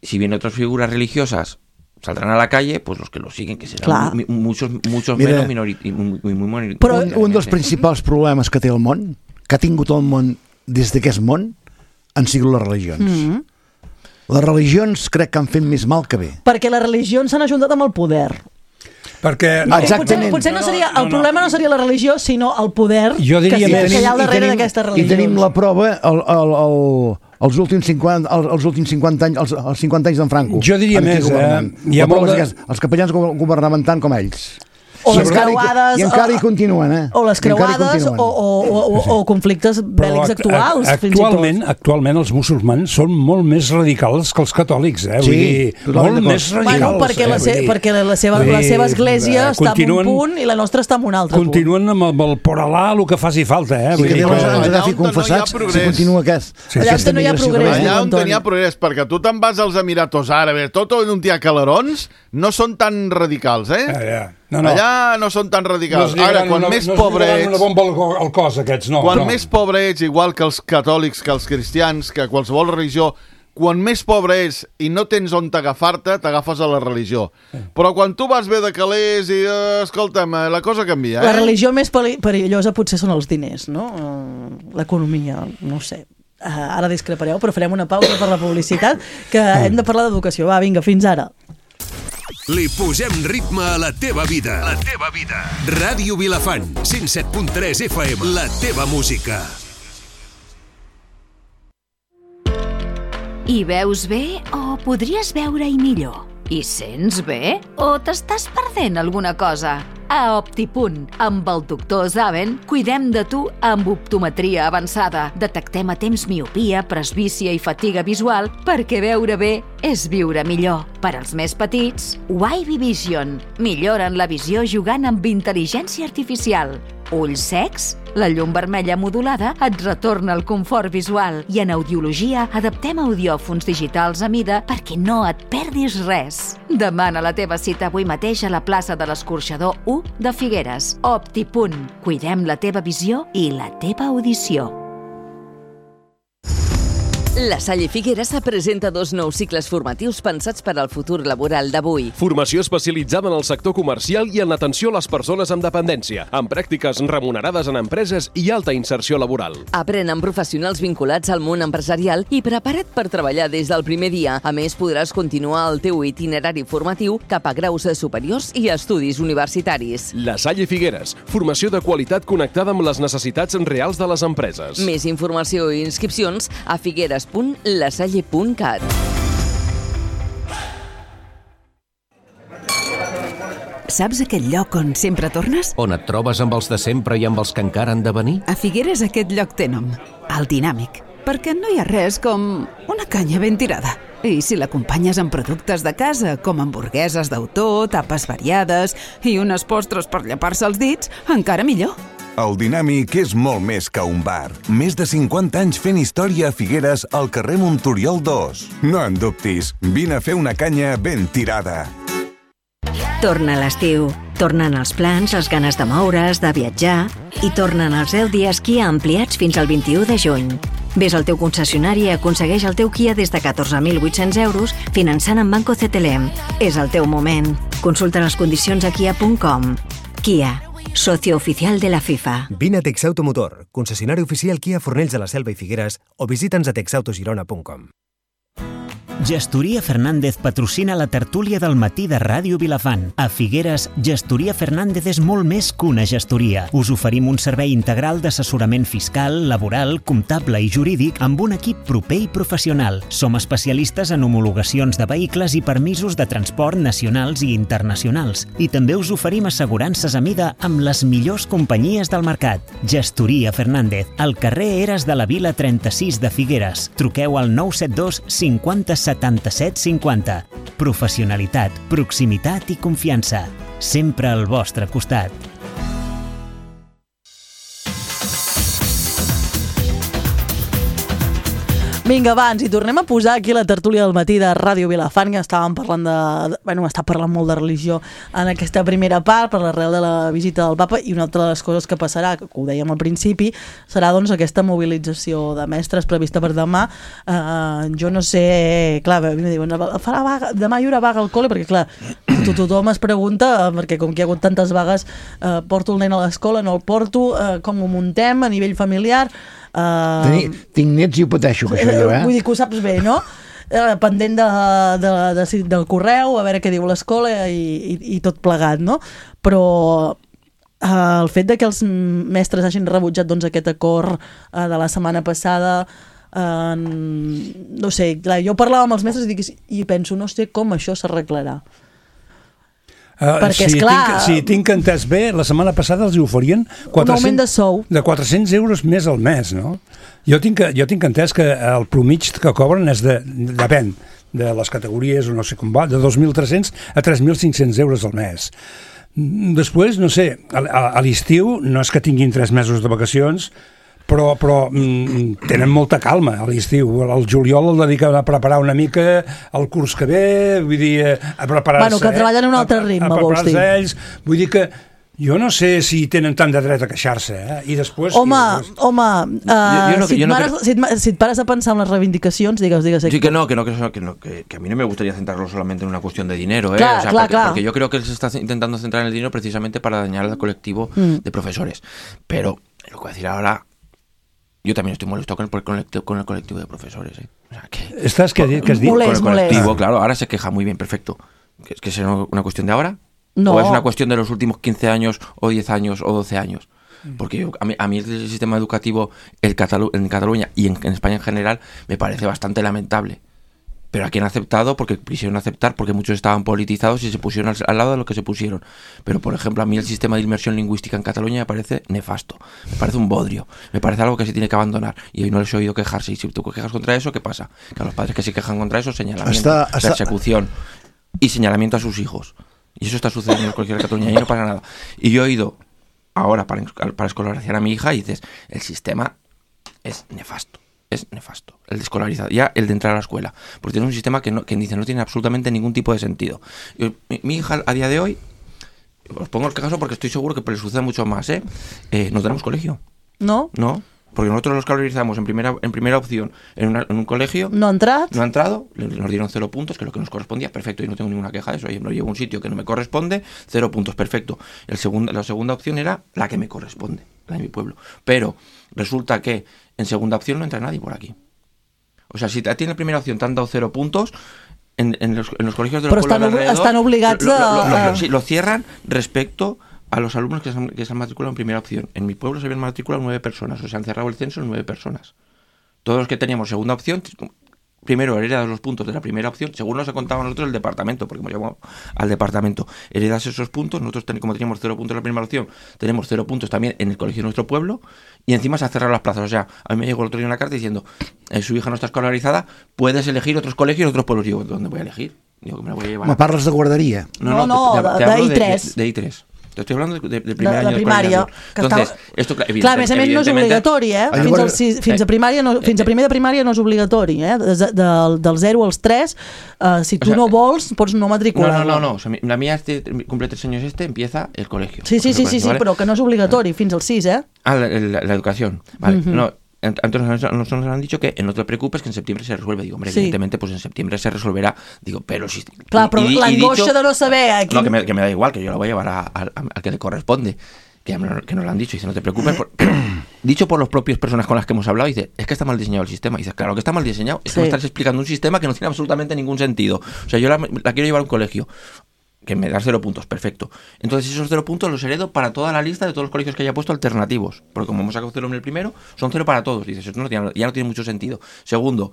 Si vienen otras figuras religiosas, saldrán a la calle, pues los que lo siguen, que seran muchos menos minoritarios. Però un dels principals problemes que té el món, que ha tingut el món des que és món, han sigut les religions. Les religions crec que han fet més mal que bé. Perquè les religions s'han ajuntat amb el poder. Perquè potser no seria el problema no seria la religió, sinó el poder que hi ha al darrere d'aquestes religions. I tenim la prova els últims 50 anys, els 50 anys d'en Franco. Jo diria més, els capellans governaven tant com ells. O les creuades... I encara hi continuen, O les creuades o conflictes bèl·lics actuals, fins i tot. Actualment els musulmans són molt més radicals que els catòlics, Vull dir, molt més radicals. Perquè la seva església està en un punt i la nostra està en un altre punt. Continuen amb el poralà, el que faci falta, Sí, que Déu ens agafi confessats si continua aquest. Allà on no hi ha progrés. Allà on hi ha progrés, perquè tu te'n vas als Emiratos Àrabs, tot on hi ha calarons, no són tan radicals, Allà no són tan radicals. Ara, quan més pobre ets... No es bomba al cos, aquests, no. Quan més pobre ets, igual que els catòlics, que els cristians, que qualsevol religió, quan més pobre ets i no tens on t'agafar-te, t'agafes a la religió. Però quan tu vas bé de calés i, escolta'm, la cosa canvia. La religió més perillosa potser són els diners, no? L'economia, no sé. Ara discrepareu, però farem una pausa per la publicitat, que hem de parlar d'educació. Va, vinga, fins ara. Li posem ritme a la teva vida. La teva vida. Ràdio Vilafant, 107.3 FM. La teva música. Hi veus bé o podries veure-hi millor? Hi sents bé o t'estàs perdent alguna cosa? A Optipunt, amb el doctor Zaven, cuidem de tu amb optometria avançada. Detectem a temps miopia, presbícia i fatiga visual perquè veure bé és viure millor. Per als més petits, Wavy Vision. Milloren la visió jugant amb intel·ligència artificial. Ulls secs? La llum vermella modulada et retorna el confort visual i en audiologia adaptem audiòfons digitals a mida perquè no et perdis res. Demana la teva cita avui mateix a la plaça de l'Escorxador 1 de Figueres. Optipunt. Cuidem la teva visió i la teva audició. La Salle Figueres presenta 2 nous cicles formatius pensats per al futur laboral d'avui. Formació especialitzada en el sector comercial i en l'atenció a les persones amb dependència, amb pràctiques remunerades en empreses i alta inserció laboral. Aprèn amb professionals vinculats al món empresarial i prepara't per treballar des del primer dia. A més, podràs continuar el teu itinerari formatiu cap a graus superiors i estudis universitaris. La Salle Figueres, formació de qualitat connectada amb les necessitats reals de les empreses. Més informació i inscripcions a figueres.lasalle.cat. Saps aquell lloc on sempre tornes? On et trobes amb els de sempre i amb els que encara han de venir? A Figueres aquest lloc té nom, el Dinàmic, perquè no hi ha res com una canya ben tirada. I si l'acompanyes amb productes de casa, com hamburgueses d'autor, tapes variades i unes postres per llepar-se els dits, encara millor. El Dinàmic és molt més que un bar. Més de 50 anys fent història a Figueres al carrer Montoriol 2. No en dubtis, vine a fer una canya ben tirada. Torna l'estiu. Tornen els plans, les ganes de moure's, de viatjar i tornen els 10 dies Kia ampliats fins al 21 de juny. Ves al teu concessionari i aconsegueix el teu Kia des de 14.800 euros finançant amb Banco CTLM. És el teu moment. Consulta les condicions a kia.com. Kia, socio oficial de la FIFA. Vine a Texautomotor, concessionari oficial Kia Fornells de la Selva i Figueres, o visita'ns a texautogirona.com. Gestoria Fernández patrocina la tertúlia del matí de Ràdio Vilafant. A Figueres, Gestoria Fernández és molt més que una gestoria. Us oferim un servei integral d'assessorament fiscal, laboral, comptable i jurídic amb un equip proper i professional. Som especialistes en homologacions de vehicles i permisos de transport nacionals i internacionals. I també us oferim assegurances a mida amb les millors companyies del mercat. Gestoria Fernández, al carrer Eres de la Vila 36 de Figueres. Truqueu al 972 50 77 50. Professionalitat, proximitat i confiança. Sempre al vostre costat. Vinga, abans, i tornem a posar aquí la tertúlia del matí de Ràdio Vilafant, que estàvem parlant està parlant molt de religió en aquesta primera part, per l'arrel de la visita del papa, i una altra de les coses que passarà, que ho dèiem al principi, serà doncs aquesta mobilització de mestres prevista per demà. Jo no sé, clar, a mi em diuen, farà vaga, demà hi haurà vaga al col·le, perquè clar, tothom es pregunta, perquè com que hi ha hagut tantes vagues, porto el nen a l'escola, no el porto, com ho muntem a nivell familiar. Tinc nets i ho pateixo, que això jo, Vull dir que ho saps bé, no? Pendent del correu, a veure què diu l'escola i tot plegat, no? Però el fet de que els mestres hagin rebutjat doncs, aquest acord de la setmana passada, no sé, clar, jo parlava amb els mestres i penso, no sé com això s'arreglarà. Perquè, esclar... Tinc entès bé, la setmana passada els hi oferien un augment de sou de 400 euros més al mes, no? Jo tinc entès que el promig que cobren és depèn de les categories, o no sé com va, de 2.300 a 3.500 euros al mes. Després, no sé, a l'estiu no és que tinguin 3 mesos de vacacions, però tenen molta calma a l'estiu. El juliol el dediquen a preparar una mica el curs que ve, vull dir, a preparar-se... Bueno, que treballen a un altre ritme, vols dir. Ells, vull dir que jo no sé si tenen tant de dret a queixar-se, I després... Home, si et pares a pensar en les reivindicacions, digues... Sí, que a mí no me gustaría centrarlo solamente en una cuestión de dinero, Claro, porque yo creo que se está intentando centrar en el dinero precisamente para dañar al colectivo de profesores. Pero, lo que voy a decir ahora... Yo también estoy molesto con el colectivo de profesores. O sea, ¿Estás que has dicho? Con el colectivo, claro, ahora se queja muy bien, perfecto. ¿Es que es una cuestión de ahora? No. ¿O es una cuestión de los últimos 15 años, o 10 años, o 12 años? Porque a mí el sistema educativo en Cataluña y en España en general me parece bastante lamentable. Pero aquí han aceptado porque quisieron aceptar, porque muchos estaban politizados y se pusieron al lado de lo que se pusieron. Pero, por ejemplo, a mí el sistema de inmersión lingüística en Cataluña me parece nefasto, me parece un bodrio, me parece algo que se tiene que abandonar. Y hoy no les he oído quejarse. Y si tú quejas contra eso, ¿qué pasa? Que a los padres que se quejan contra eso, señalamiento, persecución y señalamiento a sus hijos. Y eso está sucediendo en el colegio de Cataluña y no pasa nada. Y yo he oído ahora para escolarizar a mi hija y dices, el sistema es nefasto. Es nefasto, el de escolarizar, ya el de entrar a la escuela, porque tiene un sistema que dice no tiene absolutamente ningún tipo de sentido. Mi hija a día de hoy, os pongo el caso porque estoy seguro que le sucede mucho más, no tenemos colegio. ¿No? No, porque nosotros los escolarizamos en primera opción en un colegio. ¿No ha entrado? No ha entrado, nos dieron 0 puntos, que es lo que nos correspondía, perfecto, y no tengo ninguna queja de eso. Yo me lo llevo a un sitio que no me corresponde, 0 puntos, perfecto. La segunda opción era la que me corresponde, la de mi pueblo. Pero resulta que en segunda opción no entra nadie por aquí. O sea, si a ti en la primera opción te han dado 0 puntos, en los colegios de los pueblos alrededor... Estan obligats sí, lo cierran respecto a los alumnos que se han matriculado en primera opción. En mi pueblo se habían matriculado 9 personas, o sea, han cerrado el censo en 9 personas. Todos los que teníamos segunda opción, primero heredas los puntos de la primera opción, según nos ha contado a nosotros el departamento, porque hemos llamado al departamento, heredas esos puntos, nosotros como teníamos 0 puntos en la primera opción, tenemos 0 puntos también en el colegio de nuestro pueblo, y encima se han cerrado las plazas. O sea, a mí me llegó el otro día una carta diciendo, su hija no está escolarizada, puedes elegir otros colegios en otros pueblos. Digo, ¿dónde voy a elegir? Digo, que me la voy a llevar. ¿Me parles de guardería? No, de I3. De I3. Te estoy hablando de primer año de primària. Entonces, esto, clar, a més no és obligatori, Fins a primer de primària no és obligatori, Del 0 als 3, si tu no vols, pots no matricular-la. No. O sea, la mía cumple 3 años empieza el colegio. Sí, ¿vale? Però que no és obligatori, fins al 6, la educación, vale. No. Entonces nos han dicho que no te preocupes, que en septiembre se resuelve. Digo, hombre, evidentemente, pues en septiembre se resolverá. Digo, pero si... Claro, pero la angoixa de no saber... No, que me da igual, que yo la voy a llevar al que le corresponde. que nos lo han dicho, dice, no te preocupes, dicho por las propias personas con las que hemos hablado, dice, es que está mal diseñado el sistema. Dice, claro que está mal diseñado, es que me estás explicando un sistema que no tiene absolutamente ningún sentido. O sea, yo la quiero llevar a un colegio, que me da 0 puntos, perfecto. Entonces esos 0 puntos los heredo para toda la lista de todos los colegios que haya puesto alternativos, porque como hemos sacado 0 en el primero, son 0 para todos. Dices, eso ya no tiene mucho sentido. Segundo,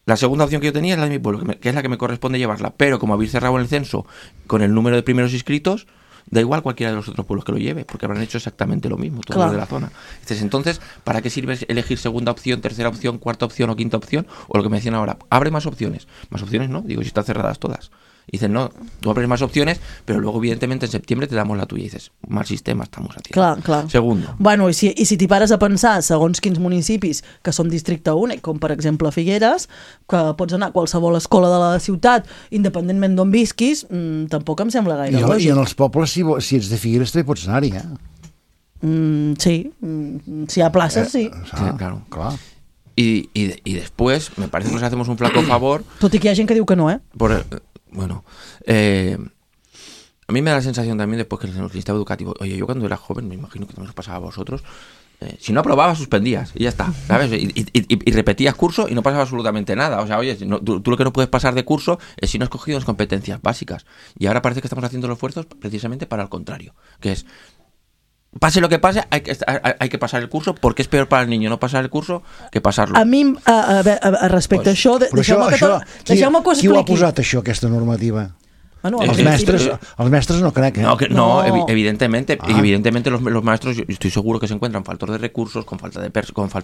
la segunda opción que yo tenía es la de mi pueblo, que es la que me corresponde llevarla, pero como habéis cerrado el censo con el número de primeros inscritos, da igual cualquiera de los otros pueblos que lo lleve, porque habrán hecho exactamente lo mismo, todos los de la zona. Entonces, ¿para qué sirve elegir segunda opción, tercera opción, cuarta opción o quinta opción? O lo que me decían ahora, abre más opciones. Más opciones no, digo, si están cerradas todas. Dicen, no, tú abres más opciones, pero luego, evidentemente, en septiembre te damos la tuya. Y dices, mal sistema estamos a tirar. Clar. Segundo. Bueno, i si t'hi pares a pensar, segons quins municipis que són districte únic, com per exemple Figueres, que pots anar a qualsevol escola de la ciutat, independentment d'on visquis, tampoc em sembla gaire lògic. I en els pobles, si ets de Figueres, també pots anar-hi, Sí, si hi ha places, sí. Claro. Y después, me parece que nos hacemos un flaco favor. Tot i que hi ha gent que diu que no, Bueno, a mí me da la sensación también después que en el sistema educativo, oye, yo cuando era joven, me imagino que también os pasaba a vosotros, si no aprobabas, suspendías y ya está, ¿sabes? Y repetías curso y no pasaba absolutamente nada. O sea, oye, tú lo que no puedes pasar de curso es si no has cogido las competencias básicas. Y ahora parece que estamos haciendo los esfuerzos precisamente para el contrario, que es, pase lo que pase, hay que pasar el curso, porque és peor para el niño no pasar el curso que pasar-lo. A mi, respecte a això, deixeu-me que ho expliqui. Qui ho ha posat, això, aquesta normativa? Bueno, els mestres no crec, No, evidentemente los maestros, yo estoy seguro que se encuentran faltos de recursos, con falta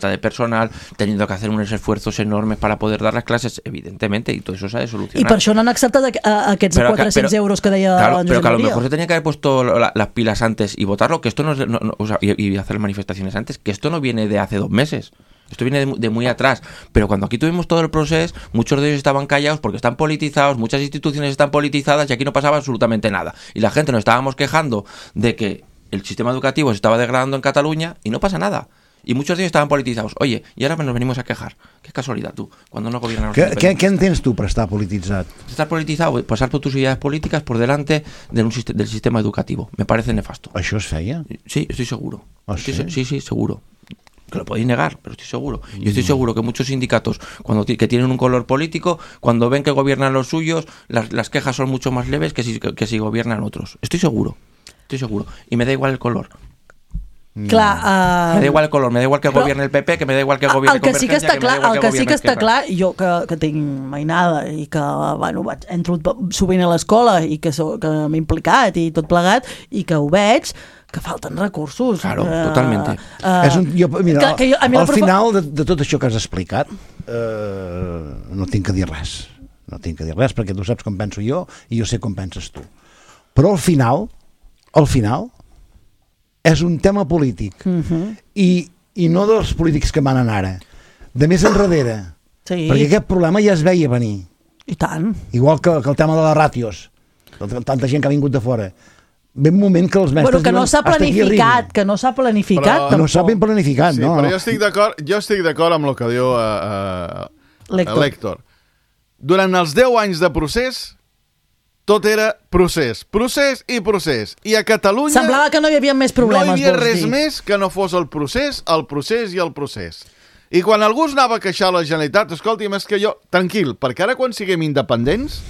de personal, teniendo que hacer unos esfuerzos enormes para poder dar las clases, evidentemente, y todo eso se ha de solucionar. I per això no han acceptat aquests 400 euros que deia claro, en Josep Pero que a lo María. mejor se tenía que haber puesto las pilas antes y votarlo, que esto y hacer manifestaciones antes, que esto no viene de hace 2 meses. Esto viene de muy atrás, pero cuando aquí tuvimos todo el proceso, muchos de ellos estaban callados porque están politizados, muchas instituciones están politizadas y aquí no pasaba absolutamente nada. Y la gente nos estábamos quejando de que el sistema educativo se estaba degradando en Cataluña y no pasa nada. Y muchos de ellos estaban politizados. Oye, y ahora nos venimos a quejar. Qué casualidad, tú, cuando no gobiernan los independientes. ¿Qué entiendes tú para estar politizado? Estar politizado, pasar por tus ideas políticas por delante del sistema educativo. Me parece nefasto. ¿Això es feia? Sí, estoy seguro. Sí, seguro. Que lo podéis negar, pero estoy seguro. Yo estoy seguro que muchos sindicatos que tienen un color político, cuando ven que gobiernan los suyos, las quejas son mucho más leves que si gobiernan otros. Estoy seguro. Y me da igual el color. Clar, me da igual el color, me da igual que gobierne el PP, que me da igual que gobierne Convergència, el que sí que està clar, jo que tinc mainada i que entro sovint a l'escola i que m'he implicat i tot plegat i que ho veig, que falten recursos. Claro, totalmente. Mira, al final de tot això que has explicat, no tinc que dir res. No tinc que dir res perquè tu saps com penso jo i jo sé com penses tu. Però al final és un tema polític i no dels polítics que manen ara, de més enrere, perquè aquest problema ja es veia venir. I tant. Igual que el tema de les ràtios, tanta gent que ha vingut de fora. Ve un moment que els mestres que no s'ha planificat, no s'ha ben planificat, no? Però jo estic d'acord amb el que diu l'Héctor. Durant els 10 anys de procés, tot era procés i a Catalunya semblava que no hi havia més problemes, no hi havia res més que no fos el procés i el procés. I quan algú es anava a queixar a la Generalitat, escolti'm, és que jo, tranquil, perquè ara quan siguem independents,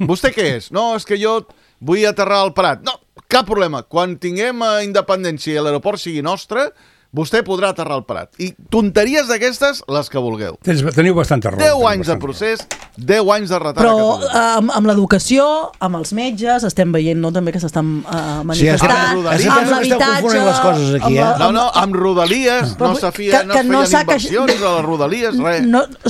vostè què és? No, és que jo vull aterrar al Prat. No, cap problema, quan tinguem independència i l'aeroport sigui nostre, vostè podrà aterrar al Prat. I tonteries d'aquestes, les que vulgueu. Teniu bastanta raó. 10 anys de procés, 10 anys de retard a Catalunya. Però amb l'educació, amb els metges, estem veient també que s'estan manifestant, amb l'habitatge... No, amb Rodalies, no es feien inversions a les Rodalies, res.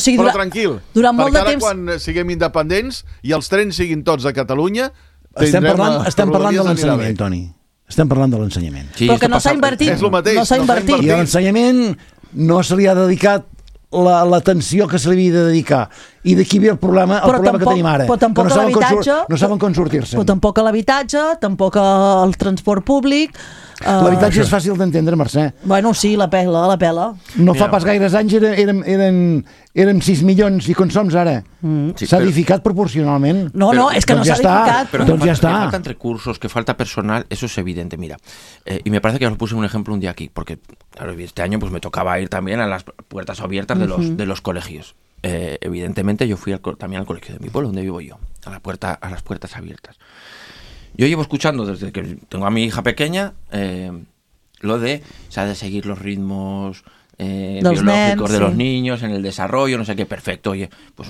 Però tranquil, perquè ara quan siguem independents i els trens siguin tots a Catalunya, estem parlant de l'ensenyament, Toni. Estem parlant de l'ensenyament. Però que no s'ha invertit. És el mateix. No s'ha invertit. I a l'ensenyament no se li ha dedicat l'atenció que se li havia de dedicar. i d'aquí ve el problema que tenim ara. Però tampoc a l'habitatge... No saben com sortir-se. Però tampoc a l'habitatge, tampoc al transport públic... L'habitatge és fàcil d'entendre, Mercè. Bueno, sí, la pela. No fa pas gaires anys érem 6 milions i com som ara. S'ha edificat proporcionalment. No, és que no s'ha edificat. Doncs ya está. Que faltan recursos, que falta personal, eso es evidente, mira. Y me parece que os puse un ejemplo un día aquí, porque claro, este año pues me tocaba ir también a las puertas abiertas de los colegios. Evidentemente yo fui también al colegio de mi pueblo, donde vivo yo, a las puertas abiertas. Yo llevo escuchando desde que tengo a mi hija pequeña lo de seguir los ritmos biológicos de los niños en el desarrollo, no sé qué, perfecto. Oye, pues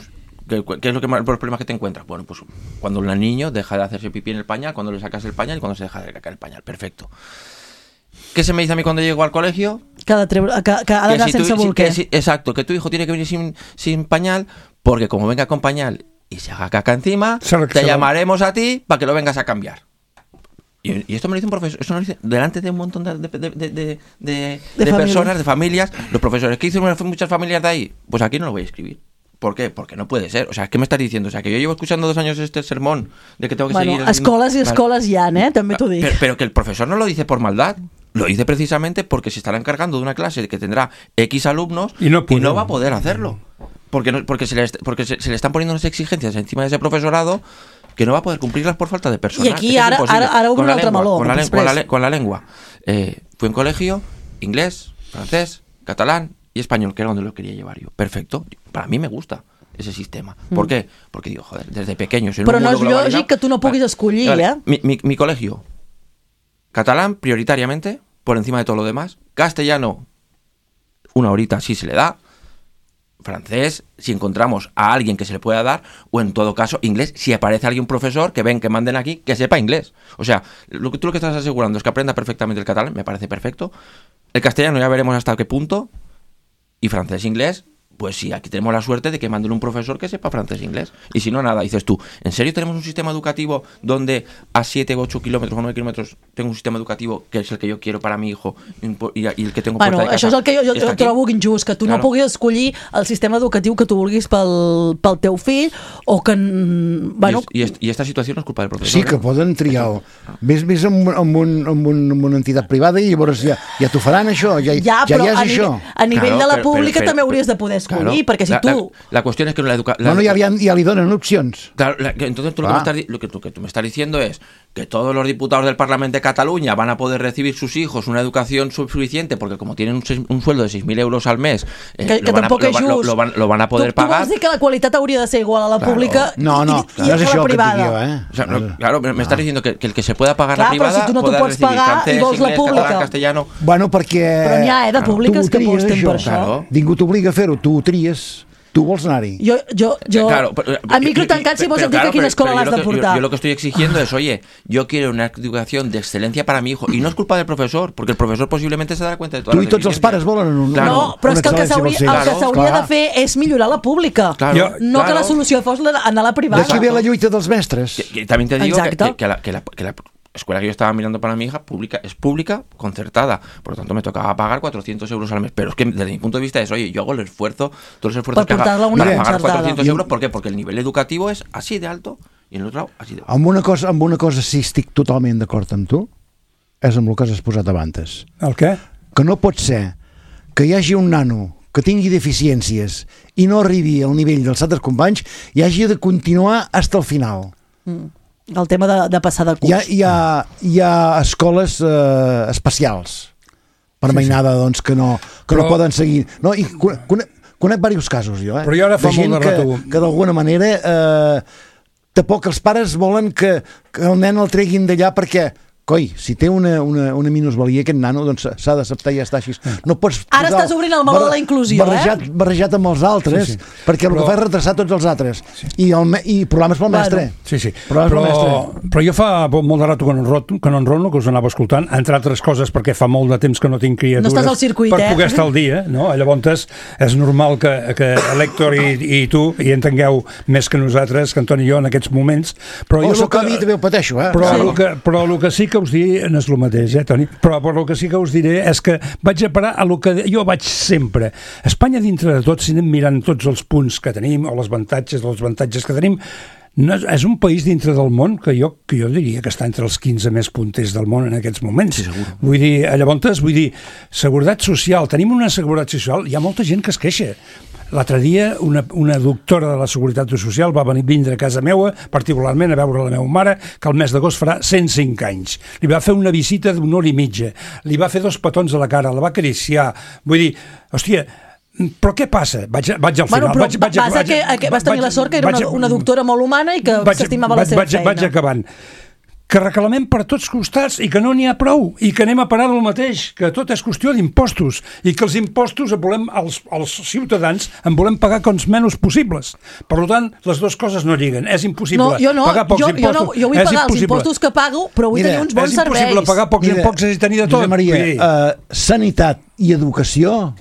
¿qué es los problemas que te encuentras? Bueno, pues cuando el niño deja de hacerse pipí en el pañal, cuando le sacas el pañal y cuando se deja de cacar el pañal, perfecto. ¿Qué se me dice a mí cuando llego al colegio? Que ha d'anar sense bolquer. Exacto, que tu hijo tiene que venir sin pañal, porque como venga con pañal y se haga caca encima, te llamaremos a ti para que lo vengas a cambiar. Y esto me lo dice un profesor, eso me lo dice delante de un montón de personas, de familias, los profesores. ¿Qué hicieron muchas familias de ahí? Pues aquí no lo voy a escribir. ¿Por qué? Porque no puede ser. O sea, ¿qué me estás diciendo? O sea, que yo llevo escuchando 2 años este sermón de que tengo que seguir... Escoles i escoles hi ha, també t'ho dic. Pero que el profesor no lo dice por maldad. Lo dice precisamente porque se estará encargando de una clase que tendrá X alumnos y no va a poder hacerlo. Porque se le están poniendo unas exigencias encima de ese profesorado que no va a poder cumplirlas por falta de personal. I aquí ara obro un altre meló. Con la lengua. Fui en colegio, inglés, francés, catalán y español, que era donde lo quería llevar yo. Perfecto. Para mí me gusta ese sistema. ¿Por qué? Porque digo, joder, desde pequeño... Però no és lògic que tu no puguis escollir, Mi colegio, catalán prioritariamente, por encima de todo lo demás. Castellano, 1 horita sí se le da. Francés, si encontramos a alguien que se le pueda dar, o en todo caso inglés, si aparece alguien profesor que manden aquí, que sepa inglés. O sea, tú lo que estás asegurando es que aprenda perfectamente el catalán, me parece perfecto. El castellano ya veremos hasta qué punto. Y francés e inglés, pues sí, aquí tenemos la suerte de que manden un profesor que sepa francés e inglés. Y si no, nada, dices tú, ¿en serio tenemos un sistema educativo donde a 7 o 8 kilómetros o 9 kilómetros tengo un sistema educativo que és el que jo quiero para mi hijo y el que tengo puerta de casa? Això és el que jo trobo injust, que tu no puguis escollir el sistema educatiu que tu vulguis pel teu fill o que... I esta situació no és culpa del professor. Sí, que poden triar. Ves amb una entitat privada i llavors ja t'ho faran això, ja és això. A nivell de la pública també hauries de poder escollir, perquè si tu... La cuestión es que la educación... Bueno, ya le donan opciones. Claro, entonces tú lo que tú me estás diciendo es que todos los diputados del Parlamento de Cataluña van a poder recibir sus hijos una educación suficiente, porque como tienen un sueldo de 6.000 euros al mes, lo van a poder pagar. Tu vols dir que la qualitat hauria de ser igual a la pública i a la privada? Claro, me estás diciendo que el que se pueda pagar la privada pueda recibir francés, inglés, catalán, castellano... Bueno, perquè... Però n'hi ha, de públiques que aposten per això. Ningú t'obliga a fer-ho, tu ho tries. Tu vols anar-hi. A micro tancat, si vols dir que a quina escola l'has de portar. Yo lo que estoy exigiendo es, oye, yo quiero una educación de excelencia para mi hijo, y no es culpa del profesor, porque el profesor posiblemente se darà cuenta de todas las deficiencias. Tu i tots els pares volen no, però és que el que s'hauria de fer és millorar la pública, no que la solució fos anar a la privada. D'aquí ve la lluita dels mestres. También te digo que la escuela que yo estaba mirando para mi hija es pública, concertada, por lo tanto me tocaba pagar 400 euros al mes, pero es que desde mi punto de vista es, oye, yo hago el esfuerzo, todos los esfuerzos que haga para pagar 400 euros, ¿por qué? Porque el nivel educativo es así de alto i en l'altre lado así de baix. Amb una cosa sí estic totalment d'acord amb tu, és amb el que has posat abans. El què? Que no pot ser que hi hagi un nano que tingui deficiències i no arribi al nivell dels altres companys i hagi de continuar fins al final. El tema de passar de curs. Hi ha escoles especials per mainada, doncs, que no poden seguir. No, i conec diversos casos, jo, però jo ara fa molt de rato que d'alguna manera tampoc els pares volen que el nen el treguin d'allà perquè coi, si té una minusvalia aquest nano, doncs s'ha d'acceptar i ja està així. No pots ara estàs obrint el meló de la inclusió, barrejat amb els altres, perquè el que fa és retrasar tots els altres. I problemes pel mestre. Sí. Però jo fa molt de rato que no enrono, que us anava escoltant, entre altres coses perquè fa molt de temps que no tinc criatures. No estàs al circuit, per poder estar al dia, no? Llavors és normal que l'Héctor i tu hi entengueu més que nosaltres, que Antoni i jo en aquests moments. Però jo també ho pateixo, però el que sí que us diré no és el mateix, Toni? Però el que sí que us diré és que vaig a parar a lo que jo vaig sempre. Espanya, dintre de tot, si anem mirant tots els punts que tenim, o els avantatges que tenim, no, és un país dintre del món que jo diria que està entre els 15 més punters del món en aquests moments. Sí, segur. Vull dir, seguretat social, tenim una seguretat social, hi ha molta gent que es queixa. L'altre dia una doctora de la Seguretat Social va vindre a casa meva, particularment a veure la meva mare, que el mes d'agost farà 105 anys. Li va fer una visita d'una hora i mitja, li va fer 2 petons a la cara, la va acariciar. Vull dir, hòstia, però què passa? Vaig al final. Vas tenir la sort que era una doctora molt humana i que s'estimava la seva feina. Vaig acabant. Que reclamem per tots costats i que no n'hi ha prou i que anem a parar del mateix, que tot és qüestió d'impostos i que els impostos els ciutadans en volem pagar com menys possibles. Per tant, les dues coses no lliguen. És impossible pagar pocs impostos. Jo vull pagar els impostos que pago, però vull tenir uns bons serveis. És impossible pagar pocs impostos i tenir de tot. Maria, sanitat i educació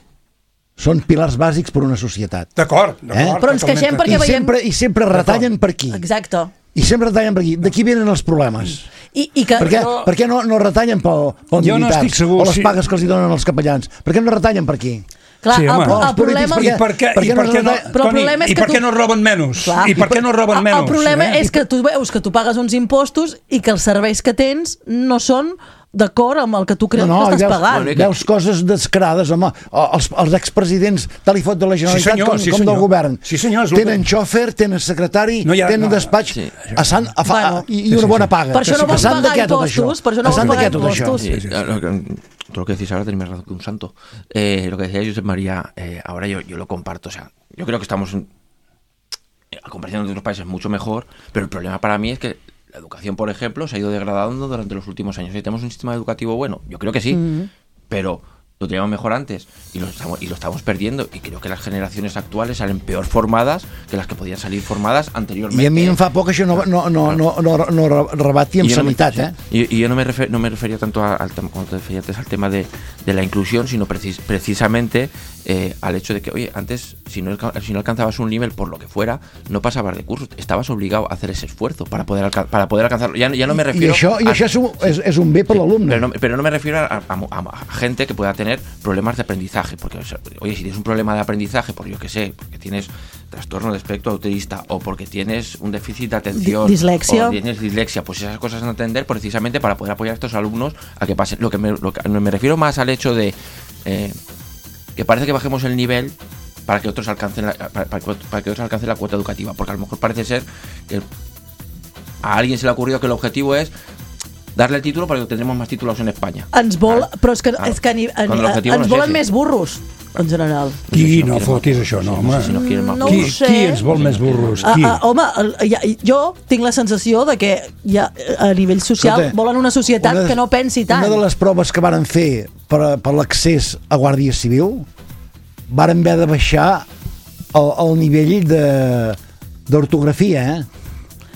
són pilars bàsics per una societat. D'acord. Però ens queixem perquè veiem... I sempre retallen per aquí. Exacte. I sempre retallen per aquí. D'aquí venen els problemes. Per què no retallen pel militars o les pagues que els donen els capellans? Per què no retallen per aquí? Clar, el problema... I per què no roben menys? I per què no roben menys? El problema és que tu veus que tu pagues uns impostos i que els serveis que tens no són d'acord amb el que tu creus que estàs pagant. Veus coses descarades, home. Els expresidents tal i fot de la Generalitat com del govern. Tenen xòfer, tenen secretari, tenen despatx i una bona paga. Per això no vols pagar impostos. Per això no vols pagar impostos. Todo lo que decís ahora tenéis más razón que un santo. Lo que decía Josep María, ahora yo lo comparto. O sea, yo creo que estamos, a comparación de otros países, mucho mejor, pero el problema para mí es que la educación, por ejemplo, se ha ido degradando durante los últimos años. ¿Tenemos un sistema educativo bueno? Yo creo que sí, pero lo teníamos mejor antes y lo estamos perdiendo, y creo que las generaciones actuales salen peor formadas que las que podían salir formadas anteriormente. I a mi em fa por que això no rebati amb sanitat, Y yo no me refería tanto como te decía antes, al tema de la inclusión, sino precisamente al hecho de que, oye, antes si no alcanzabas un nivel por lo que fuera, no pasabas de curso, estabas obligado a hacer ese esfuerzo para poder alcanzarlo. Ya no me refiero... I això és un bé per l'alumne. Pero no me refiero a gente que pueda tener problemas de aprendizaje, porque, oye, si tienes un problema de aprendizaje, por yo que sé, porque tienes trastorno de espectro autista o porque tienes un déficit de atención dislexia. O tienes dislexia, pues esas cosas a entender precisamente para poder apoyar a estos alumnos a que pasen. Lo que me refiero más al hecho de que parece que bajemos el nivel para que otros alcancen la cuota educativa, porque a lo mejor parece ser que a alguien se le ha ocurrido que el objetivo es darle el título perquè tindrem més títols en Espanya. Però és que ens volen més burros, en general. Qui no fotis això, no, home? No ho sé. Qui ens vol més burros? Home, jo tinc la sensació de que a nivell social volen una societat que no pensi tant. Una de les proves que varen fer per l'accés a Guàrdia Civil varen haver de baixar el nivell d'ortografia,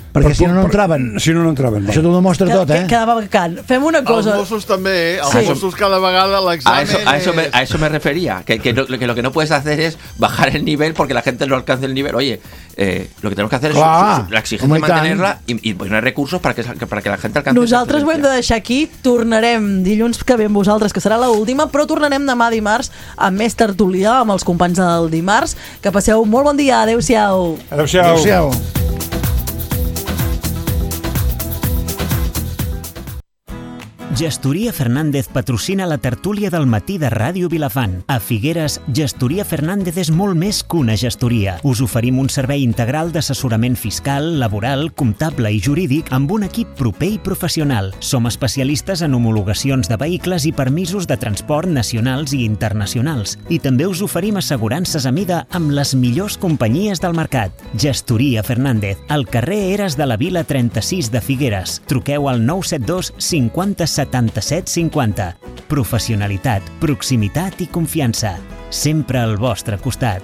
perquè si no entraven. Això t'ho demostra tot, Quedava vacant. Fem una cosa. Els Mossos també, els Mossos cada vegada l'examen... A eso me refería, que lo que no puedes hacer es bajar el nivel porque la gente no alcance el nivel. Oye, lo que tenemos que hacer es la exigencia mantenerla y poner recursos para que la gente alcance. Nosaltres ho hem de deixar aquí. Tornarem dilluns que ve amb vosaltres, que serà l'última, però tornarem demà dimarts amb més tertúlia, amb els companys del dimarts. Que passeu un molt bon dia. Adéu-siau. Adéu-siau. Gestoria Fernández patrocina la tertúlia del matí de Ràdio Vilafant. A Figueres, Gestoria Fernández és molt més que una gestoria. Us oferim un servei integral d'assessorament fiscal, laboral, comptable i jurídic amb un equip proper i professional. Som especialistes en homologacions de vehicles i permisos de transport nacionals i internacionals. I també us oferim assegurances a mida amb les millors companyies del mercat. Gestoria Fernández, al carrer Eres de la Vila 36 de Figueres. Truqueu al 972 50 77 50. Professionalitat, proximitat i confiança. Sempre al vostre costat.